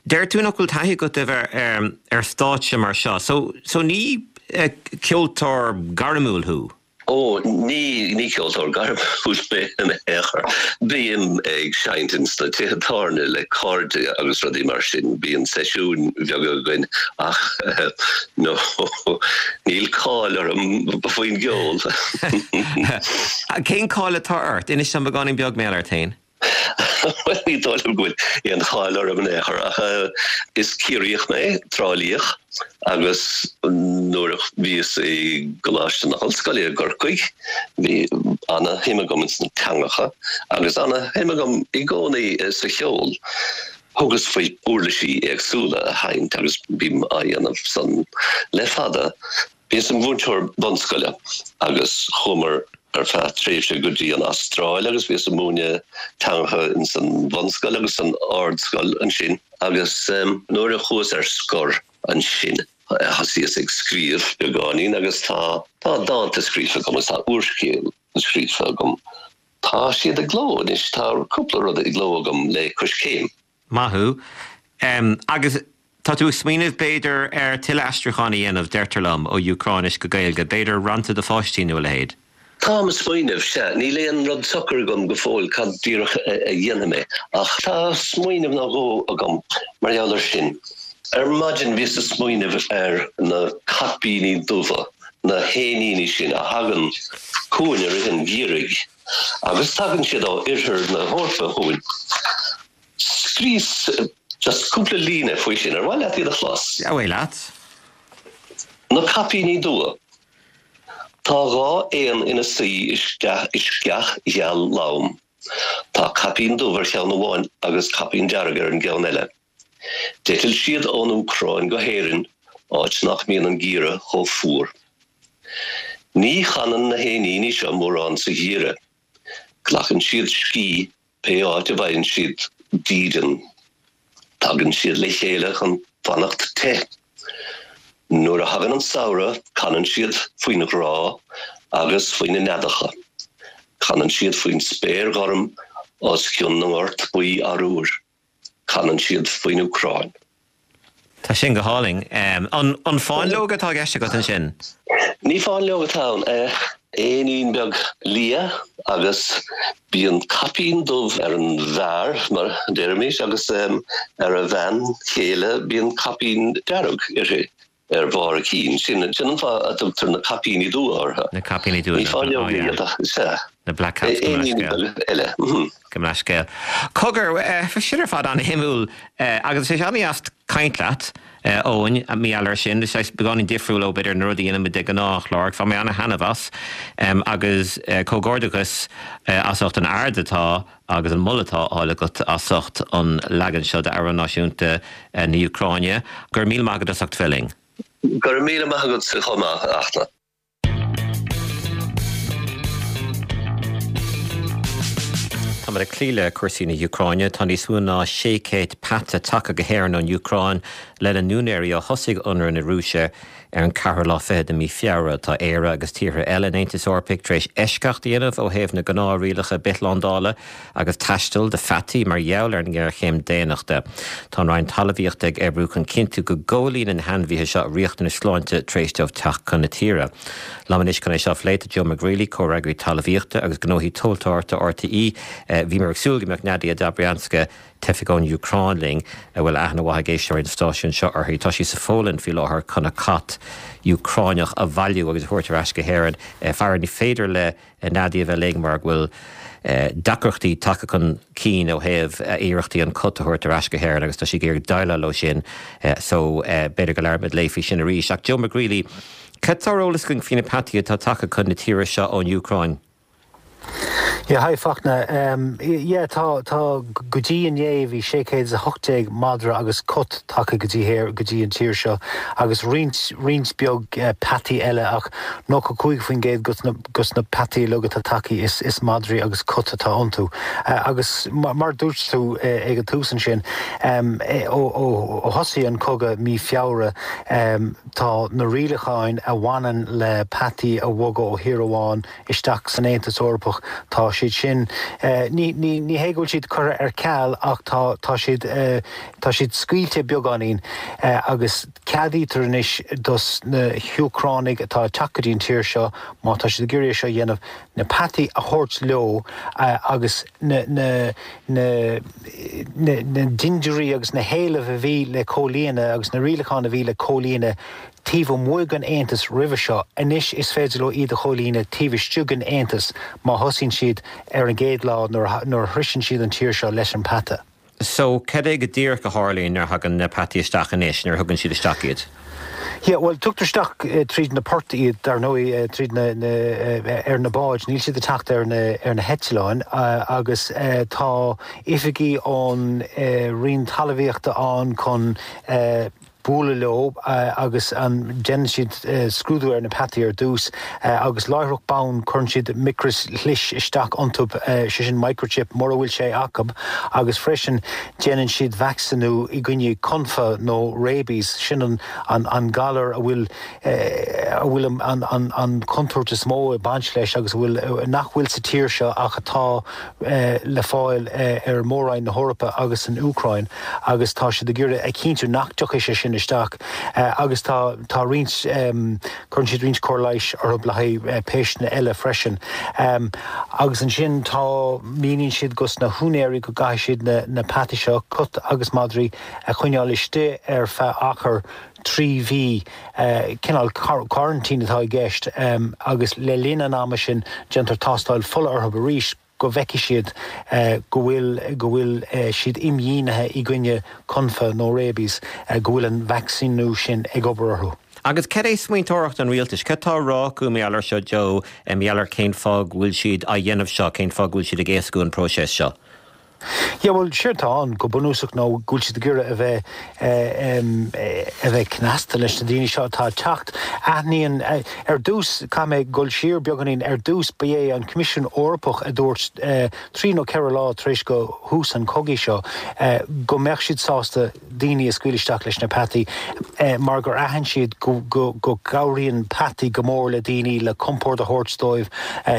Deir tú nach bhfuil taithí agat a bheith ar stáitse mar seo, so so ní ceoltóir gairmiúil thú? Ó, ní, ní ceoltóir gairmiúil mé in aon chor. Bím ag seinnt ins na tithe tábhairne le cairde agus rudaí mar sin, bíonn seisiúin bheaga againn ach no, níl cáil orm faoin gceol. Cén cáil atá ort? Inis dom beagáinín beag mar gheall ort féin. Bhuel, ní dóigh liom go bhfuil aon cháil orm in aon chor, ach is Ciarraíoch mé, Trá Líoch, agus nuair a bhíos i gColáiste na hOllscoile i gCorcaigh, bhí ana-shuim agam ins na teangacha agus ana-shuim agam i gcónaí sa cheol. Thugas faoi uirlisí éagsúla a sheinnt agus bím á dhéanamh san le fada. Bhíos im mhúinteoir bunscoile agus chuamar ar feadh tréimhse go dtí an Astráil agus bhíos ag múineadh teangacha ins an bhunscoil agus san ardscoil ansin agus nuair a chuas ar scor ansin thosaíos ag scríobh beagáinín agus tá tá dánta scríofa agam agus tá úrscéal scríofa agam. Tá siad i gcló anois, tá cúpla rud i gcló agam le Coiscéim. Maith thú. Agus tá tú ag smaoineamh, b'fhéidir, ar tuilleadh aistriúcháin a dhéanamh, deirtear liom, ó Úcráinis go Gaeilge, b'fhéidir rannta do pháistí nó a leithéid? Táim ag smaoineamh, sea. Níl aon rud socair agam go fóill cad díreach a dhéanfaidh mé, ach tá smaoineamh nó dhó agam mar gheall air sin. Ar maidin bhíos ag smaoineamh ar na caipíní dubha, na héiníní sin a thagann chugainn i rith an gheimhridh, agus tagann siad ó oirthear na hEorpa chugainn. Scríos just cúpla líne faoi sin. Ar mhaith leat iad a chlos? Ar mhaith leat. Na caipíní dubha. Tá 2 éan ina suí i sceach gheal lom. Tá caipín dubh ar cheann amháin agus caipín dearg ar an gceann eile. D'eitil siad ón Úcráin go hÉirinn, áit nach mbíonn an geimhreadh chomh fuar. Ní chanann na héiníní seo mórán sa gheimhreadh. Glacann siad scíth. Pé áit a bhfaigheann siad dídean, tagann siad le chéile chun fanacht te. Nuair a thagann an samhradh, canann siad faoin ghrá agus faoi na neadacha. Canann siad faoin spéir ghorm os cionn na ngort buí arúir. Canann siad faoin Úcráin. Tá sin go hálainn. An fáinleog atá i gceist agat ansin? Ní fáinleog atá ann. Éinín beag liath agus bíonn caipín dubh ar an bhfear, mar a déarfaimis, agus ar a bhean chéile bíonn caipín dearg uirthi. ar bharr a cinn. Sin an fáth a dtugtar na caipíní dubha orthu. Na caipíní dubha. Ní fáinleoga iad ach is ea. Na black caps, gabh mo leithscéal. Eile. Gabh mo leithscéal. Cogar, sin ar fad an-shuimiúil agus is é an-deas caint leat, Eoin, mar gheall air sin. Is é beagáinín difriúil ó b'fhéidir na rudaí a dhéanaimid de ghnáth an chlár. Bhain mé an-thaitneamh as agus comhghairdeachas as ucht an aird atá agus an moladh atá á fháil agat as ucht an leagan seo d'amhrán náisiúnta na hÚcráine. Go raibh míle maith agat as ucht bheith linn. Go raibh míle maith agatsa chomh maith, a Fhachtna. Táimid ag cloí le cúrsaí na hÚcráine. Tá níos mó ná 600 peata tagtha go hÉirinn ón Úcráin lena n-úinéirí ó thosaigh ionradh na Rúise Ar an ceathrú lá fichead de mhí Feabhra, tá Éire agus tíortha eile an Aontais Eorpaigh tar éis eisceacht a dhéanamh ó thaobh na gnáthrialacha bithshlándála agus taistil do pheataí mar gheall ar an ngéarchéim daonnachta. Tá an Roinn Talmhaíochta ag oibriú chun cinntiú go gcomhlíonann na hainmhithe seo riachtanais sláinte tar éis dóibh teacht chun na tíre. Liom anois chun é seo a phlé tá Joe McGreely, Comhfhreagraí Talmhaíochta agus Gnóthaí Tomhaltóireachta RTÉ. Bhíomar ag súil go mbeadh Nadia Dobrianska, teifeach ón Úcráin linn, a bhfuil aithne mhaith ag éisteoirí an stáisiúin seo uirthi. Tá sí sa Pholainn faoi láthair chun a cat Úcráineach a bhailiú agus a thabhairt ar ais go hÉirinn. Faraor, ní féidir le Nadia a bheith linn mar go bhfuil deacrachtaí tagtha chun cinn ó thaobh a iarrachtaí an cat a thabhairt ar ais go hÉirinn agus tá sí ag iarraidh déileáil leo sin so b'fhéidir go labhróimid léi faoi sin arís. Ach Joe McGreely, cad tá ar eolas againn faoi na peataí atá tagtha chun na tíre seo ón Úcráin? Yeah, hi Fachtna. Yeah, tá, tá, go dtí inné bhí 618 madra agus cat tagtha go dtí héir, go dtí an tír seo agus roinnt, roinnt beag peataí eile ach 95% dos na, dos na peataí uilig atá tagtha is, is madraí agus cat atá iontu. Agus mar, mar dúirt tú ag an tús ansin, ó, ó, ó thosaigh an cogadh mí Feabhra, tá na rialacháin a bhaineann le peataí a bhogadh ó thír amháin isteach san Aontas Eorpach, tá siad sin, ní, ní, ní hé go bhfuil siad curtha ar ceal ach tá, tá siad, tá siad scaoilte beagáinín agus ceadaítear anois dos na hÚcránaigh atá ag teacht go dtí an tír seo, má tá siad ag iarraidh é seo a dhéanamh, na peataí a thabhairt leo agus na, na, na, na, na dindiúirí agus na héilimh a bhí le comhlíonadh agus na rialacháin a bhí le comhlíonadh taobh amuigh den Aontas roimhe seo, anois is féidir leo iad a chomhlíonadh taobh istigh den Aontas má thosaíonn siad ar an gcéad lá nuair a shroiseann siad an tír seo leis an peata. So, cad é go díreach a tharlaíonn nuair a thagann na peataí isteach anois, nuair a thugann siad isteach iad? Yeah, bhuel, tugtar isteach tríd na poirt iad, dar ndóigh, tríd na, na, ar na báid, níl siad ag teacht ar na, ar na heitleáin agus tá oifigigh ón Roinn Talmhaíochta ann chun bualadh leo agus déanann siad scrúdú ar na peataí ar dtús agus láithreach bonn cuireann siad micrishlis isteach iontu, sé sin microchip, mura bhfuil sé acu agus freisin déanann siad vacsaíniú i gcoinne confadh nó rabies, sin an galar a bhfuil a bhfuil an chontúirt is mó ag baint leis agus a bhfuil nach bhfuil sa tír seo ach atá le fáil ar Mhór-Roinn na hEorpa agus san Úcráin agus tá siad ag iarraidh a chinntiú nach dtiocfaidh sé sin isteach agus tá tá roinnt cuireann siad roinnt cóir leighis orthu le haghaidh péisteanna eile freisin. Agus ansin tá míníonn siad dos na húinéirí go gcaithfidh siad na na peataí seo, cat agus madraí, a choinneáil istigh ar feadh achar 3 mhí, cineál coraintín atá i gceist, agus le linn an ama sin déantar tástáil fola orthu arís go bhfeicfidh siad go bhfuil go bhfuil siad imdhíonithe i gcoinne confadh nó rabies, go bhfuil an vacsaíniú sin ag obair orthu. Agus cad é smaointeoireacht an rialtais? Cad tá á rá acu mar gheall air seo, Joe, mar gheall ar cén fáth go bhfuil siad á dhéanamh seo, cén fáth go bhfuil siad ag éascú an próiseas seo? Yeah, bhuel, séard atá ann go bunúsach ná go bhfuil siad ag iarraidh a bheith a bheith cneasta leis na daoine seo atá ag teacht. Aithníonn, ar dtús, caithfidh mé dul siar beagáinín, ar dtús ba é an Coimisiún Eorpach a dúirt trí nó 4 lá tar éis go thús an chogaidh seo go mbeadh siad sásta daoine a scaoileadh isteach leis na peataí mar gur aithin siad go gcabhraíonn peataí go mór le daoine le compord a thabhairt dóibh,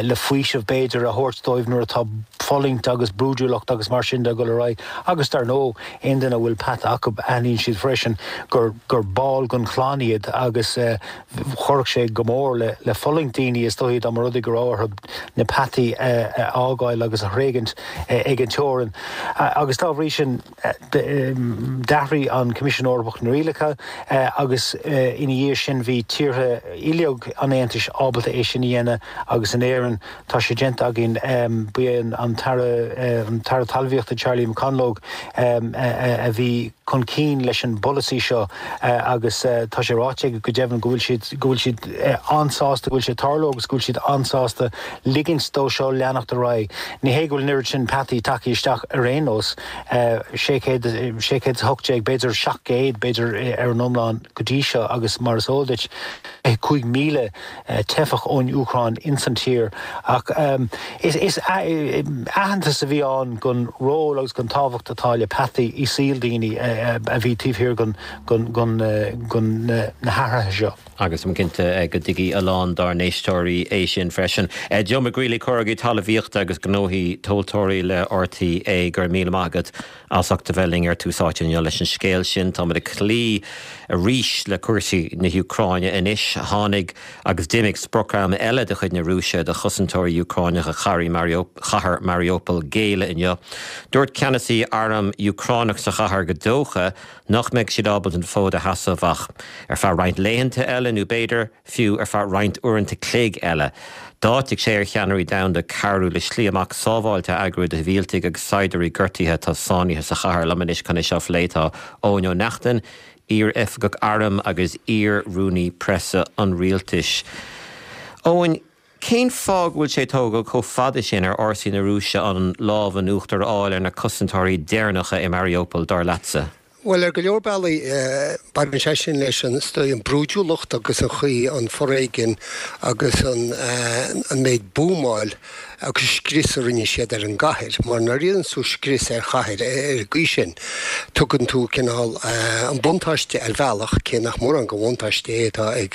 le faoiseamh b'fhéidir a thabhairt dóibh nuair atá fulaingt agus brúidiúlacht agus mar sin de ag dul ar aghaidh agus dar ndóigh aon duine a bhfuil peata acu aithníonn siad freisin gur gur ball den chlann iad agus chuirfeadh sé go mór le le fulaingt daoine is dóigh dá mba rud é go raibh orthu na peataí a fhágáil agus a thréigint ag an teorainn agus dá bhrí sin D'athraigh an Coimisiún Eorpach na rialacha agus ina dhiaidh sin bhí tíortha uilig an Aontais ábalta é sin a dhéanamh agus in Éirinn tá sé déanta againn. Ba é an tAire an tAire Talmhaíochta Charlie McConalogue a bhí chun cinn leis an bpolasaí seo agus tá sé ráite aige go deimhin go bhfuil siad go bhfuil siad an-sásta go bhfuil sé ag tarlú agus go bhfuil siad an-sásta ligint dó seo leanacht ar aghaidh. Ní hé go bhfuil an oiread sin peataí tagtha isteach ar aon nós, 600, 618, b'fhéidir 700 b'fhéidir ar an iomlán go dtí seo agus mar is eol duit, 5,000 teifeach ón Úcráin ins an tír. Ach is aitheantas a bhí ann don ról agus don tábhacht atá le peataí i saol daoine a bhí taobh thiar den na hathruithe seo. Agus táim cinnte go dtuigfidh a lán dár n-éisteoirí é sin freisin. Joe McGreely, Comhfhreagraí Talmhaíochta agus Gnóthaí Tomhaltóirí le RTÉ, go raibh míle maith agat as ucht a bheith linn ar Tús Áite inniu leis an scéal sin. Táimid ag cloí arís le cúrsaí na hÚcráine anois. Tháinig agus d'imigh sprioc-am eile de chuid na Rúise do chosantóirí Úcráineacha chathair Mariupol géilleadh inniu. Dúirt ceannasaí arm Úcránach sa chathair gur dócha nach mbeidh siad ábalta an fód a sheasamh ach ar feadh roinnt laethanta eile nó b'fhéidir fiú ar feadh roinnt uaireanta cloig eile. D'áitigh sé ar cheannairí domhanda cabhrú le slí amach sábháilte a eagrú do shibhialtaigh agus saighdiúirí gortaithe atá sáinnithe sa chathair. Liom anois chun é seo a phlé tá Eoin Ó Neachtain, iar-oifigeach airm agus iar-rúnaí preasa an rialtais. Eoin, Cén fáth go bhfuil sé ag tógáil chomh fada sin ar fhórsaí na Rúise an lámh in uachtar a fháil ar na cosantóirí deireanacha i Mariupol, dar leatsa? Bhuel, ar go leor bealaí, baineann sé sin leis an, is dóigh, an brúidiúlacht agus an chaoi, an foréigean agus an, an méid buamáil agus scrios a rinne siad ar an gcathair. Mar nuair a dhéanann tú scrios ar chathair ar an gcaoi sin, tugann tú cineál an buntáiste ar bhealach, cé nach mórán de bhuntáiste é atá ag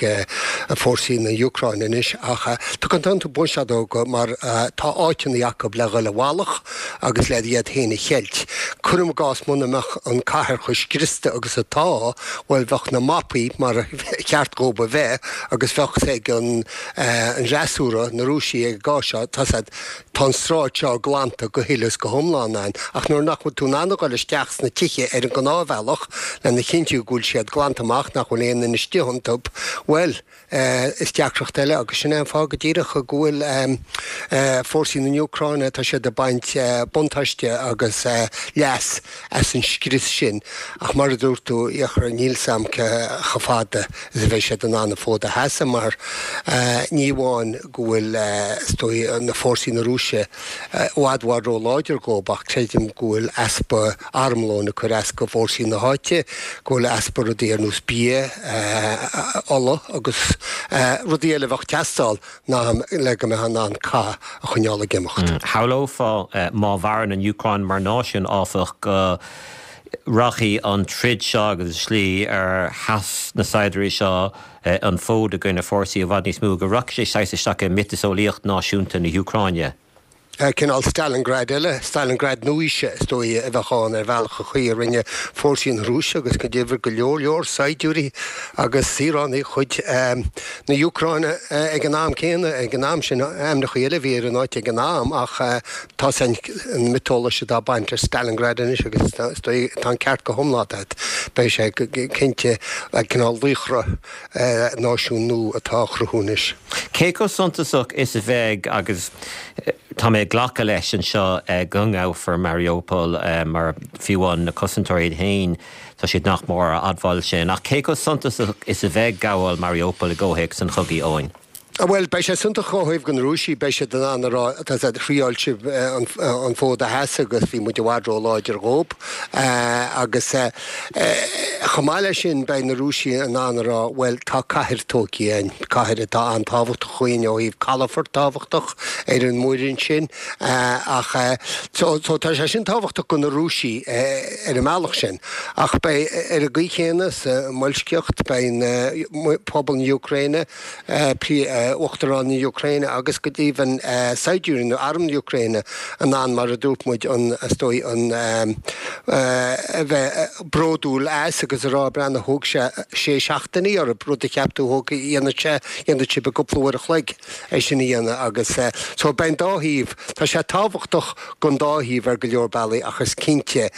fórsaí na Úcráine anois, ach tugann tú buntáiste dóibh mar tá áiteanna acu le dhul i bhfalach agus le iad féin a cheilt. Cuirim i gcás muna mbeadh an cathair chomh scriosta agus atá, bhuel bheadh na mapaí mar a cheart dhóibh a bheith agus bheadh 's ag an fhreasúra, na Rúisigh ag an gcás seo, tá 's a'd, Tá an sráid seo glanta go huile is go hiomlán ann, ach nuair nach bhfuil tú in ann a dhul isteach sna tithe ar an ngnáthbhealach lena chinntiú go bhfuil siad glanta amach, nach bhfuil aon duine istigh iontu, bhuel, is deacracht eile agus sin é an fáth go díreach go bhfuil fórsaí na Úcráine, tá siad ag baint buntáiste agus leas as an scrios sin. Ach mar a dúirt tú, a Fhiachra, níl 's a'm cé chomh fada is a bheidh siad in ann an fód a sheasamh mar ní amháin go bhfuil, is dóigh, na fórsaí na Rúise i bhfad bhfad ró-láidir dhóibh ach creidim go bhfuil easpa armlóin ag cur as go fórsaí na háite, go bhfuil easpa rudaí ar nós bia, ola agus rudaí eile a bheadh ag teastáil le go mbeifeá in ann cath a choinneáil ag imeacht. Shamhlófá má mhaireann an Úcráin mar náisiún, áfach, go rachaidh an troid seo agus an slí ar sheas na saighdiúirí seo an fód i gcoinne fórsaí i bhfad níos mó, go rachaidh sé saghas isteach i miotaseolaíocht náisiúnta na hÚcráine. Cineál Stalingrad eile, Stalingrad nua-aoise, is dóigh, a bheadh ann ar bhealach an chaoi a rinne fórsaí na Rúise agus go deimhin go leor leor saighdiúirí agus saoránaigh chuid na hÚcráine ag an am céanna, ag an am sin, ainmneacha eile a bhí ar an áit ag an am ach tá an miotaseolaíocht atá ag baint le Stalingrad anois agus is dóigh tá an ceart go hiomlán agat, beidh sé cinnte cineál laochra náisiún nua atá á chruthú anois. Cé chomh suntasach is a bheidh, agus tá mé ag glacadh leis anseo go ngabhfar Mariupol mar fiú amháin na cosantóirí iad féin, tá siad nach mór á admháil sin, ach cé chomh suntasach is a bheidh gabháil Mariupol i gcomhthéacs an chogaidh, Eoin? Bhuel, beidh sé suntasach ó thaobh de na Rúisigh, beidh siad in ann a rá, tá siad, thriáil sibh an fód a sheasamh agus bhí muid i bhfad ró-láidir dhóib. Agus chomh maith leis sin, beidh na Rúisigh in ann a rá, bhuel, tá cathair tógtha againn, cathair atá an-tábhachtach dhúinn ó thaobh calafort tábhachtach ar an muir ansin. Ach, so, tá sé sin tábhachtach do na Rúisigh ar an mbealach sin. Ach beidh, ar an gcaoi chéanna, sa mboilscíocht, beidh pobal na Úcráine, Uachtarán na Úcráine agus go deimhin saighdiúirí nó arm na Úcráine in ann, mar a dúirt muid, an, is dóigh, an, a bheith bródúil as agus a rá, breathnaigh, thóg sé sé seachtainí orthu, rud a cheap tú thóg, dhéanfadh sé, dhéanfadh sibh i gcúpla uair a chloig é sin a dhéanamh agus so beidh an dá thaobh, tá sé tábhachtach don dá thaobh ar go leor bealaí ach is cinnte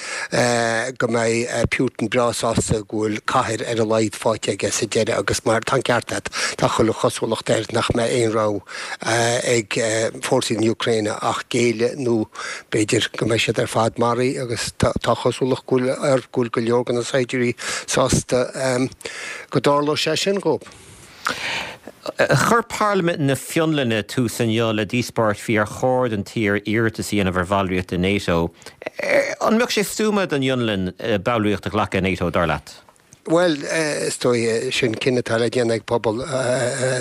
go mbeidh Putin breá sásta go bhfuil cathair ar a laghad faighte aige sa deireadh agus mar tá an ceart agat, tá chuile chosúlacht air nach mbeidh aon rogha ag fórsaí na Úcráine ach géilleadh nó b'fhéidir go mbeidh siad ar fad maraithe agus tá chosúlacht go bhfuil air go bhfuil go leor de na saighdiúirí sásta go dtarlódh sé sin dhóibh. Chuir Parlaimint na Fionlainne tús inniu le díospóireacht faoi ar chóir don tír iarratas a dhéanamh ar bhallraíocht i NATO. An mbeadh sé stuama don Fhionlainn ballraíocht a ghlacadh i NATO, dar leat? Bhuel, is dóigh, sin cinneadh atá le déanamh ag pobal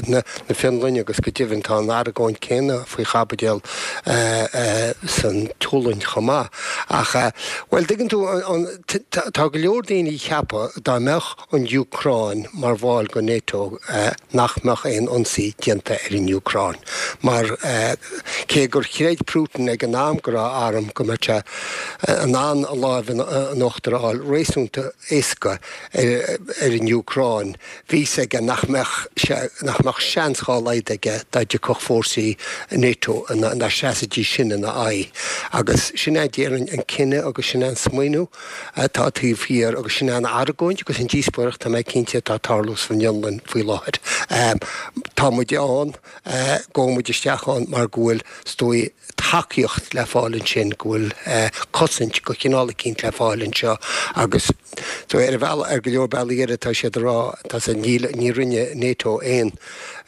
na Fionlainne agus go deimhin tá an argóint céanna faoi chaibidil san tSualainn chomh maith. Ach, bhuel, tuigeann tú, tá go leor daoine ag ceapadh dá mbeadh an Úcráin mar bhall de NATO nach mbeadh aon ionsaí déanta ar an Úcráin mar cé gur chreid Putin ag an am go raibh arm go mbeadh sé in ann a láimh in uachtar a fháil réasúnta éasca ar an Úcráin bhí fhios aige nach mbeadh sé nach mbeadh seans dhá laghad aige dá dtiocfadh fórsaí NATO dá seasfaidís sin ina aghaidh agus sin é déarfainn an cinneadh agus sin é an smaoineamh atá taobh thiar agus sin é an argóint agus an díospóireacht, tá mé cinnte, atá ag tarlú san Fhionlainn faoi láthair. Tá muid ann, gabhfaidh muid isteach ann mar go bhfuil, is dóigh, tacaíocht le fáil ansin, go bhfuil cosaint de chineál eicínt le fáil anseo agus so ar bhealach, ar go leor bealaí eile tá siad ag rá, tá sé, níl, ní rinne NATO aon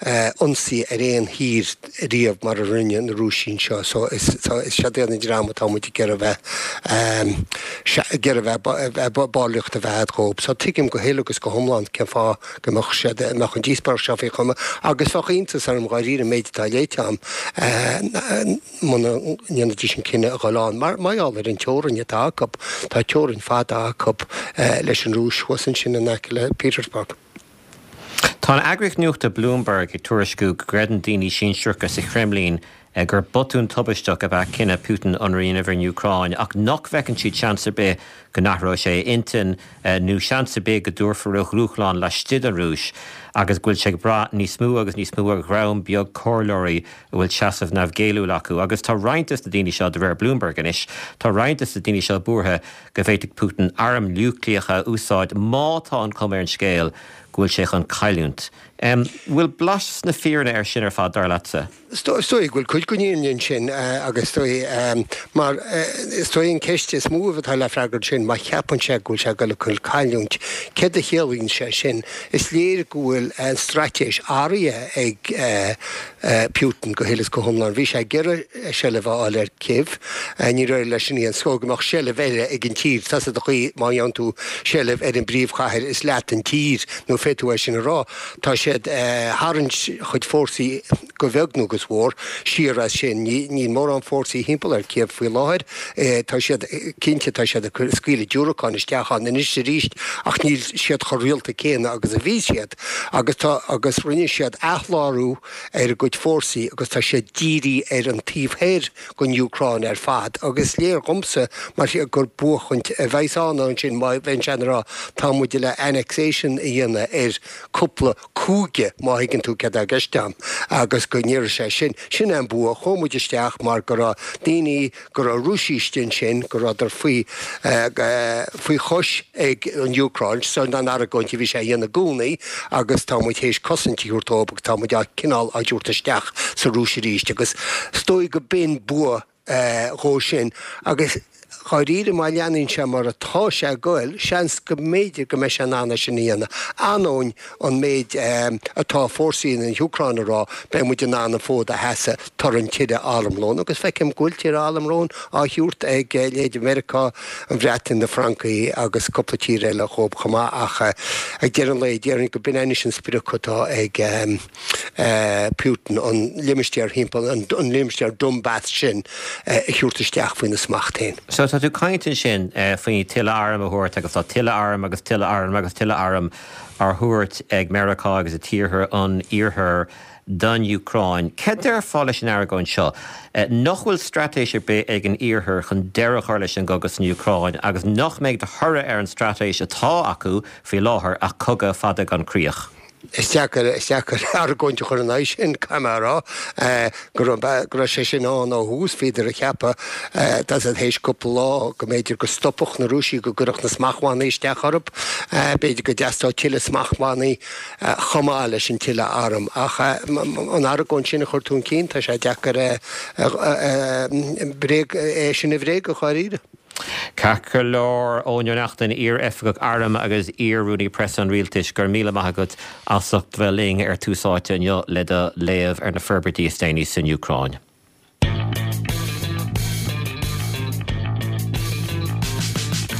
ionsaí ar aon thír riamh mar a rinne na Rúisigh anseo. So is siad iad an dream atá muid ag iarraidh bheith ag iarraidh bheith ballraíocht a bheith a'd dhób. So tuigim go huile agus go hiomlán cén fáth go mbeadh siad mbeadh an díospóireacht seo faoi choinne agus bheadh iontas orm dháiríre an méid atá léite a'm muna ndéanfaidís an cinneadh a dhul ann. Mar mar gheall ar an teorainn atá acu, tá teorainn fada acu leis an Rúis thuas ansin in aice le Petersburg. Tá an eagraíocht nuachta Bloomberg ag tuairisciú go gcreideann daoine sinsearacha sa Chreimlín gur botún tubaisteach ab ea cinneadh Putin ionradh a dhéanamh ar an Úcráin ach nach bhfeiceann siad seans ar bith go n-athróidh sé a intinn nó seans ar bith go dtabharfar a dhúshlán laistigh den Rúis agus go bhfuil sé ag brath níos mó agus níos mó ar dhream beag comhairleoirí a bhfuil seasamh neamhghéilliúil acu. Agus tá roinnt des na daoine seo, de réir Bloomberg anois, tá roinnt des na daoine seo buartha go bhféadfadh Putin airm núicléacha a úsáid má tá an chuma ar an scéal go bhfuil sé chun cailliúint. Bhfuil blas na fírinne air sin ar fad, dar leatsa? Is dóigh go bhfuil cuid den fhírinne ansin agus is dóigh, mar is dóigh an ceist is mó atá le freagairt sin, má cheapann sé go bhfuil sé ag dul chun cailliúint, céard a chiallaíonn sé sin? Is léir go bhfuil an straitéis athraithe ag Putin go huile is go hiomlán. Bhí sé ag iarraidh seilbh a fháil ar Kyiv. Níor éirigh leis in aon chor go mbeadh seilbh eile ag an tír. Tá 's agat an chaoi má fhaigheann tú seilbh ar an bpríomhchathair is leat an tír, nó féadfaidh tú é sin a rá. Tá siad tharraingt a chuid fórsaí go bheag nó go mhór siar as sin. Níl mórán fórsaí thimpeall ar Kyiv faoi láthair. Tá siad, cinnte, tá siad ag scaoileadh diúracán isteach ann anois is arís ach níl siad chomh rialta céanna agus a bhí siad. Agus tá, agus rinne siad athshlárú ar a gcuid fórsaí agus tá siad dírithe ar an taobh thoir den Úcráin ar fad agus is léir dhomsa mar gur buachaint a bheas ann ansin má bheann sé ag rá tá muid le annexation a dhéanamh ar cúpla cúige má thuigeann tú céard atá i gceist agam agus go ndéarfaidh sé sin sin é an bua chuaigh muid isteach mar go raibh daoine go raibh Rúisigh istigh ansin, go rabhadar faoi faoi chois ag an Úcráin, sin an argóint a bhí sé a dhéanamh i gcónaí agus tá muid théis cosaint a thabhairt dóibh agus tá muid á cineál á dtabhairt isteach sa Rúis arís agus is dóigh go b'in bua dhó sin agus. dháiríre má leanann sé mar atá sé ag goil, seans go mb'fhéidir go mbeidh sé in ann é sin a dhéanamh, ainneoin an méid atá fórsaí na hÚcráine a rá, beidh muid in ann an fód a sheasamh tar an tuilleadh armlóin agus feicim go bhfuil tuilleadh armlóin á thabhairt ag leithéid Mheiriceá, an Bhreatain, na Francaigh agus cúpla tír eile dhóibh chomh maith ach ag deireadh an lae déarfainn go b'in anois an sprioc atá ag Putin, an limistéar thimpeall, an limistéar Donbas sin a thabhairt isteach faoina smacht féin. So tá tú ag caint ansin faoi tuilleadh arm a thabhairt agus tá tuilleadh arm agus tuilleadh arm agus tuilleadh arm á thabhairt ag Meiriceá agus ag tíortha an Iarthair don Úcráin. Céard déarfá leis an argóint seo? Nach bhfuil straitéis ar bith ag an Iarthar chun deireadh a chur leis an gcogadh san Úcráin agus nach mbeidh de thoradh ar an straitéis atá acu faoi láthair ach cogadh fada gan críoch? Is deacair, is deacair argóint a chur in aghaidh sin, caithfidh mé a rá, go raibh, go raibh sé sin ann ó thús. Bhíodar ag ceapadh, tá 's a'd, théis cúpla lá, go mb'fhéidir go stopfadh na Rúisigh, go gcuirfeadh na smachtbhannaí isteach orthu. B'fhéidir go dteastódh tuilleadh smachtbhannaí chomh maith leis an tuilleadh arm. Ach an argóint sin a chur chun cinn, tá sé deacair bréag, é sin a bhréagadh, dháiríre. Ceart go leor, Eoin Ó Neachtain, iar-oifigeach airm agus iar-rúnaí preasa an rialtais, go raibh míle maith agat as ucht bheith linn ar Tús Áite inniu le do léamh ar na forbairtí is déanaí san Úcráin.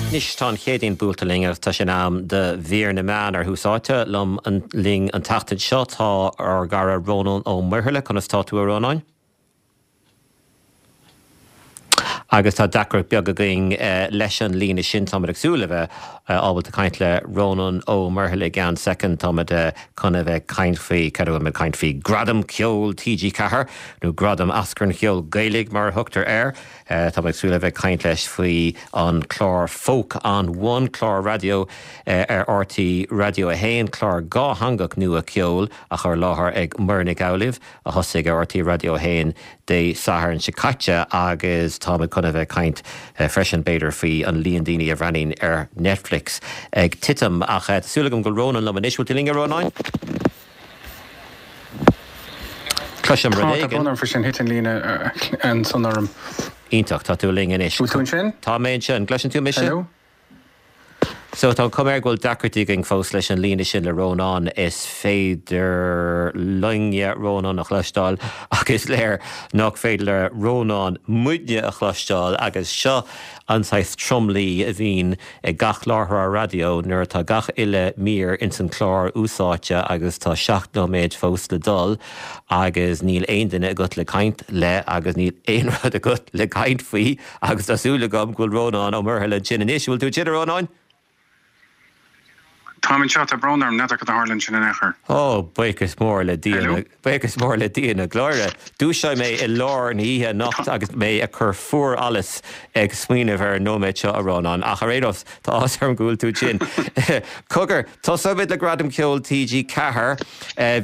Anois tá an Chéadaoin buailte linn agus tá sé in am do mhír na meán ar Thús Áite. Liom linn an tseachtain seo tá ár gcara Rónán Ó Muirthile. Conas tá tú a Rónáin? Agus tá deacracht beag againn leis an líne sin. Táimid ag súil le bheith ábalta caint le Rónán Ó Muirthile i gceann soicind. Táimid chun a bheith ag caint faoi, cad a bhfuil muid ag caint faoi? Gradam Ceoil TG4, nó Gradam Oscar an Cheoil Ghaelaigh mar a thugtar air. Táimid ag súil le bheith ag caint leis faoi an clár Folk on One, clár raidió ar RTÉ Raidió 1, clár dhátheangach nua ceoil á chur i láthair ag Muireann Nic Amhlaoibh. a thosaigh ar RTÉ Raidió 1 Dé Sathairn seo caite agus táimid chun a bheith ag caint freisin b'fhéidir faoi an líon daoine a bhreathnaíonn ar Netflix ag titim. Ach tá súil agam go bhfuil Rónán liom anois. Bhfuil tú linn a Rónáin? Cloisim rud éigin. Tá, tá brón orm faoi sin, thit an líne ansan orm. Iontach, tá tú linn anois. Bhfuil tú ansin? Tá mé ansin. An gcloiseann tú mise? Hello? So, tá an chuma air go bhfuil deacrachtaí againn fós leis an líne sin le Rónán. Is féidir linne Rónán a chloisteáil ach is léir nach féidir le Rónán muidne a chloisteáil agus seo an saghas tromluí a bhíonn ag gach láithreoir raidió nuair atá gach uile mír ins an chlár úsáidte agus tá 7 nóiméad fós le dul agus níl aon duine agat le caint le agus níl aon rud agat le caint faoi. Agus tá súil agam go bhfuil Rónán Ó Muirthile ansin anois. An bhfuil tú ansin, a Rónáin? Táim anseo, tá brón orm, n'fheadar cad a tharla ansin in aon chor. Ó, buíochas mór le Dia na, buíochas mór le Dia na glóire. Dúiseoidh mé i lár na hoíche anocht agus mé ag cur fuarallas ag smaoineamh ar an nóiméad seo, a Rónáin. Ach ar aon nós, tá áthas orm go bhfuil tú ansin. Cogar, tosóimid le Gradam Ceoil TG4.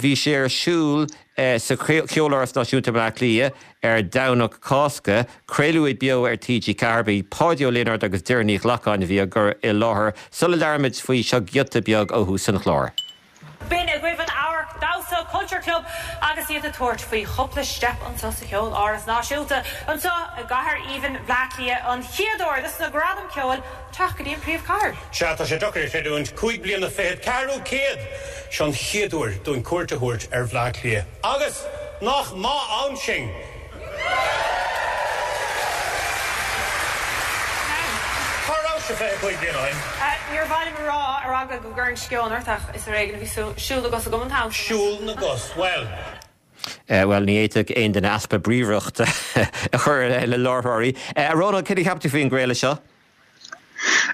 Bhí sé ar siúl sa Cheoláras Náisiúnta i mBleá Cliath ar Domhnach Cásca. Craoladh é beo ar TG4. Ba iad Páidí Ó Lionáird agus Doireann Ní Ghlacáin a bhí á gcur i láthair. Sula labhraímid faoi, seo giota beag ó thús an chláir. B'in agaibh an Amharc Damhsa Culture Club agus iad ag tabhairt faoi chúpla steip anseo sa Cheoláras Náisiúnta anseo i gcathair aoibhinn Bhleá Cliath an chéad uair dos na Gradaim Ceoil teacht go dtí an príomhchathair. Sea, tá sé deacair a chreidiúint, cúig bliana fichead, ceathrú céad! Seo an chéad uair dúinn cuairt a thabhairt ar Bhleá Cliath. Agus nach maith ann sinn! Cá rabhais-se 25 bliain ó shin? Níor mhaith liom a rá, ar eagla go gcuirfinn sceon ort, ach is ar éigean a bhí siúl na gcos agam an t-am sin. Siúl na gcos, bhuel. Bhuel, ní fhéadfadh aon duine easpa bríomhaireachta a chur i leith na láithreoirí. A Rónáin, céard a cheap tú faoin gcraoladh seo?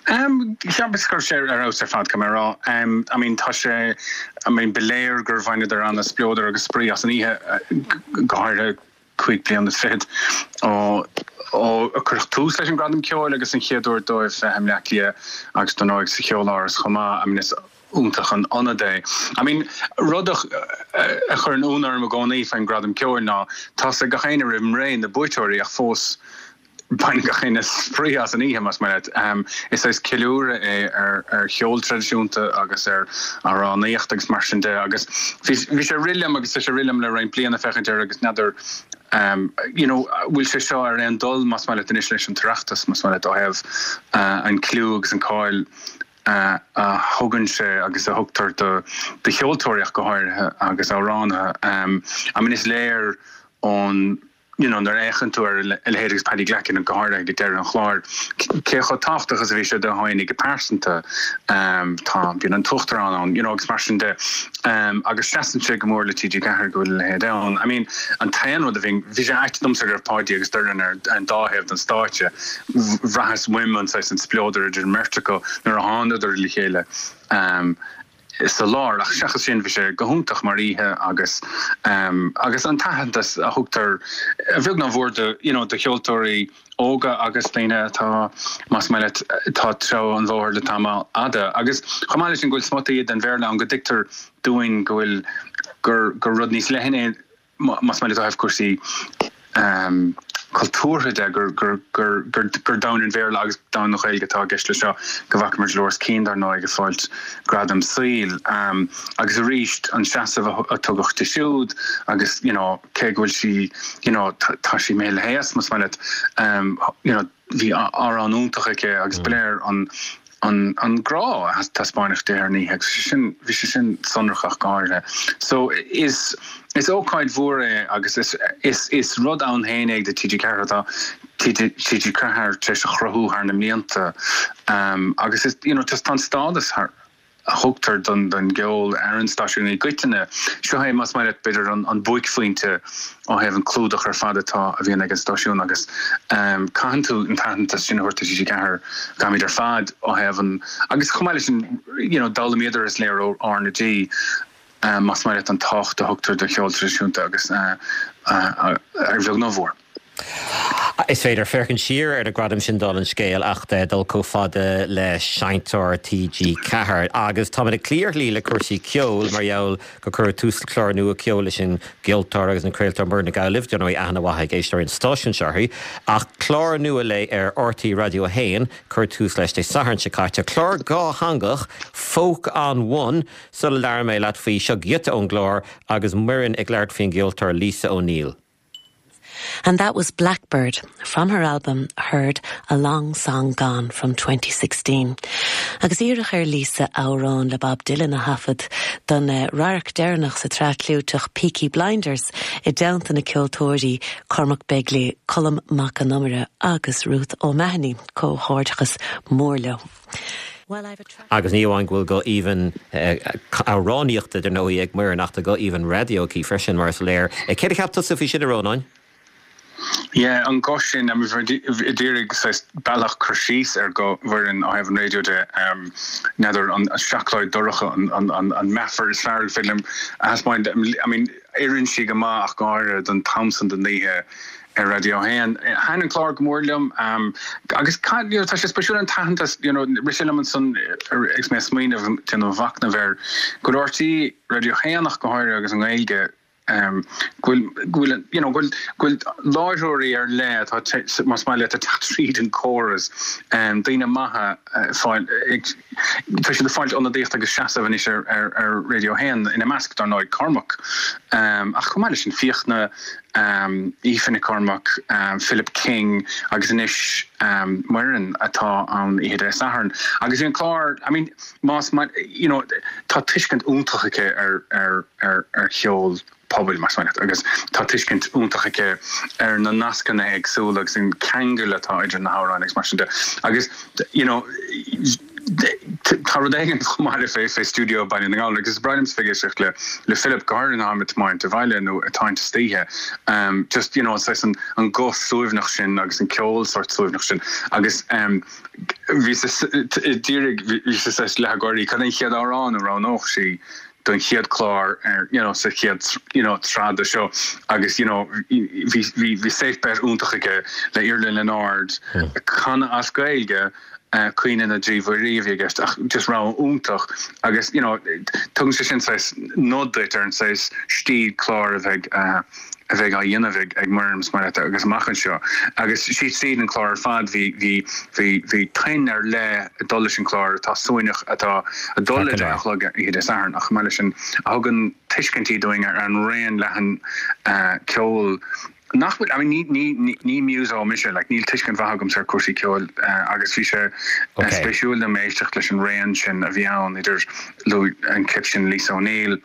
Cheapas go raibh sé ar fheabhas ar fad, caithfidh mé a rá. I mean, tá sé, I mean, ba léir gur bhaineadar an-spleodar agus spraoi as an oíche, go háirithe cúig bliana is fichead ó ó cuireadh tús leis an Gradam Ceoil agus an chéad uair dóibh bheith i mBleá Cliath agus dar ndóigh sa Cheoláras chomh maith. I mean, is iontach an ionad é. I mean, rud a chuireann ionadh orm i gcónaí faoin Gradam Ceoil ná tá's ag gach éinne roimh ré na buaiteoirí ach fós. Baineann gach éinne spraoi as an oíche, más maith leat. Is saghas ceiliúradh é ar cheol traidisiúnta agus ar amhránaíocht agus mar sin de agus bhí sé ag rith liom agus tá sé ag rith liom le roinnt bliana féachaint air agus n'fheadar you know bhfuil sé seo ar aon dul, más maith leat, anois leis an tOireachtas, más maith leat, ó thaobh an cliú agus an cáil a thugann sé agus a thugtar do cheoltóirí ach go háirithe agus amhránaithe. I mean is léir ón you know, nuair a fhéachann tú ar a leithéid agus Paddy Glackin go háirithe ag deireadh an chláir, cé chomh tábhachtach is a bhí sé dó féinig go pearsanta, tá, bíonn an tUachtarán ann, you know, agus mar sin de, agus seasann sé go mór le TG4 go bhfuil a leithéid ann. I mean, an t-aon rud a bhí, bhí sé ait domsa go raibh Páidí agus Doireann ar an dá thaobh den stáitse, bhraitheas uaim an saghas an spleodar idir an mbeirt acu nuair a thángadar le chéile. Sa lár, ach seachas sin bhí sé go hiontach mar oíche agus agus an t-aitheantas a thugtar a bheag nó a mhór do you know do cheoltóirí óga agus daoine atá más maith leat atá ag treabhadh an bhóthair le tamall fhada agus chomh maith leis sin go bhfuil smuta den Bhéarla ann go dtuigtear dúinn go bhfuil gur gur rud níos leithne é más maith leat ó thaobh cúrsaí cultúrtha de, gur domhan an Bhéarla agus domhan na Gaeilge atá i gceist leis seo, go bhfaca muid Dolores Keane, dar ndóigh, ag fáilt gradam saoil. Agus arís, an seasamh a tugadh di siúd agus, you know, cé go bhfuil sí, you know, tá sí imithe le haos, más maith leat, you know, Bhí amhrán iontach aici agus ba léir an an grá a taispeáineadh di ar an oíche agus bhí sé sin bhí sé sin sonrach ach go háirithe. So is is ócáid mhór é agus is is is rud ann féin é do TG4 atá TG4 tar éis a chruthú thar na mblianta agus is you know just tá an stádas thar a thugtar don gceol ar an stáisiún i gcoitinne. Seo é, más maith leat, b'fhéidir an buaicphointe ó thaobh an clúdach ar fad atá, a bhíonn ag an stáisiún agus caitheann tú an t-aitheantas sin a thabhairt do TG4, caithfimid ar fad ó thaobh an, agus chomh maith leis sin, you know, d'fhoghlaimíodar is léir ó R na G, más maith leat, an tábhacht a thugtar do cheol traidisiúnta agus ar bheag nó ar mhór. Is féidir féachaint siar ar na gradaim sin dála an scéil ach dul chomh fada le Seinnteoir TG4. Agus táimid ag cloí ar shlí le cúrsaí ceoil mar gheall gur cuireadh tús le clár nua ceoil leis an gceoltóir agus an craoltóir Muireann Nic Amhlaoibh, dar ndóigh aithne mhaith ag éisteoirí an stáisiúin seo uirthi. Ach clár nua léi ar RTÉ Raidió 1, cuireadh tús leis Dé Sathairn seo caite. Clár dhátheangach, Folk on One. Sula labhraíonn mé leat faoi, seo giota ón gclár agus Muireann ag labhairt faoin gceoltóir Lisa O'Neill. And that was Blackbird from her album Heard a Long Song Gone from 2016. Agus iarradh ar Lisa amhrán le Bob Dylan a thaifead don radharc deireanach sa tsraith chlúiteach Peaky Blinders i dteannta na ceoltóirí Cormac Begley, Colm Mac Con Iomaire agus Ruth O'Mahony. Comhghairdeachas mór leo. Agus ní amháin go bhfuil guth aoibhinn amhránaíochta, dar ndóigh, ag Muireann ach tá guth aoibhinn raidió aici freisin, mar is léir. Céard a cheap tusa faoi sin, a Rónáin? Yeah, an guth sin, I mean, d'iarraidh saghas bealach cur síos ar ghuth Mhuireann ó thaobh an raidió de, n'fheadar, an seacláid dorcha an meafar is fearr ar féidir liom a thaispeáint. I mean, oireann sí go maith ach go háirithe don t-am san den oíche ar Raidió 1. Thaitin an clár go mór liom agus you know tá sé spéisiúil an t-aitheantas you know rith sé liom ansan agus mé ag smaoineamh déanamh mhachnaimh air go bhfuil RTÉ Raidió 1 ach go háirithe agus an Ghaeilge go bhfuil go bhfuil you know go bhfuil go bhfuil láithreoirí ar leith atá más maith leat ag teacht tríd an córas daoine maithe fáil ag Tá siad ag fáilt ionadaíocht agus seasamh anois ar Radio 1, ina measc, dar ndóigh, Cormac, ach chomh maith leis sin, Fiachna, Aoife Nic Cormaic, Philip King agus anois Muireann atá ann oíche Dé Sathairn. Agus bhí an clár, I mean, más maith, you know, tá tuiscint iontach aici ar ar ar cheol. pobail, más maith leat, agus tá tuiscint iontach aici ar na nascanna éagsúla agus an ceangal atá idir na hamhráin agus mar sin de. Agus, you know, tá rud éigin chomh maith le fé fé stiúideo Baile na nGall agus is breá liomsa bheith ag éisteacht le le Philip go háirithe nuair atáim ag tiomáint abhaile nó ag tiomáint istoíche. Um, just, you know, saghas an, an guth suaimhneach sin agus an ceol sort suaimhneach sin agus um, bhí d'iarraidh bhí sé saghas leath ag gáirí cad é an chéad amhrán a roghnódh sí don chéad chlár ar you know sa chéad you know tsraith de seo agus you know bhí bhí bhí safe bet iontach aige le Iarla Leonard ag canadh as Gaeilge. Caoineadh na dTrí Mhuirí a bhí i gceist ach just rogha iontach agus you know tugann sé sin saghas nod duit ar an saghas stíl cláir a bheidh a bheidh á dhéanamh ag ag Muireann is maith leat agus amach anseo agus síos tríd an clár ar fad bhí bhí bhí bhí tuin ar leith ag dul leis an chlár atá suaimhneach atá ag dul le 10 a chlog oíche Dé Sathairn ach chomh maith leis sin a thugann tuiscintí dúinn ar an raon leathan ceoil nach bhfuil, I mean ní ní ní muso mise, like níl tuiscint mhaith agamsa ar cúrsaí ceoil agus bhí sé spéisiúil dom éisteacht leis an raon sin a bhí ann idir luaigh an clip sin Lisa O'Neill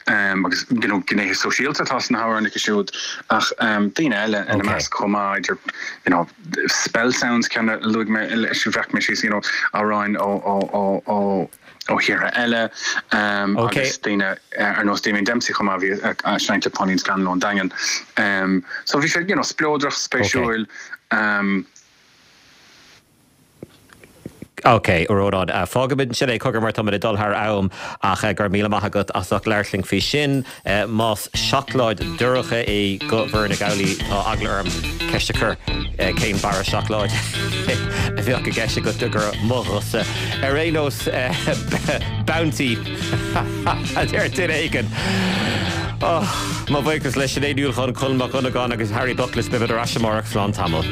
agus you know gnéithe sóisialta atá sna hamhráin aici siúd ach daoine eile ina measc chomh maith idir you know Spell Sounds ceann a luaigh mé leis a bhreac mé síos you know amhráin ó ó ó ó ó thíortha eile agus daoine ar nós Damien Dempsey chomh maith a bhí ag seinnt le Pauline Scanlon ón Daingean. So bhí sé you know spleodrach, spéisiúil. Ok, a Rónáin, fágfaimid ansin é cogar mar táimid ag dul thar am ach go raibh míle maith agat as ucht labhairt linn faoi sin. Más seacláid dorcha é do Mhuireann Nic Amhlaoibh, tá eagla orm ceist a chur cén barra seacláide a bheadh i gceist agat de gur mo ghuthsa. Ar aon nós, Bounty a deir duine éigin. Mo bhuíochas le Sinéad Ní Uallacháin, Colm Mac Dhonnagáin agus Harry Buckless. Beimid ar ais amárach. Slán tamall.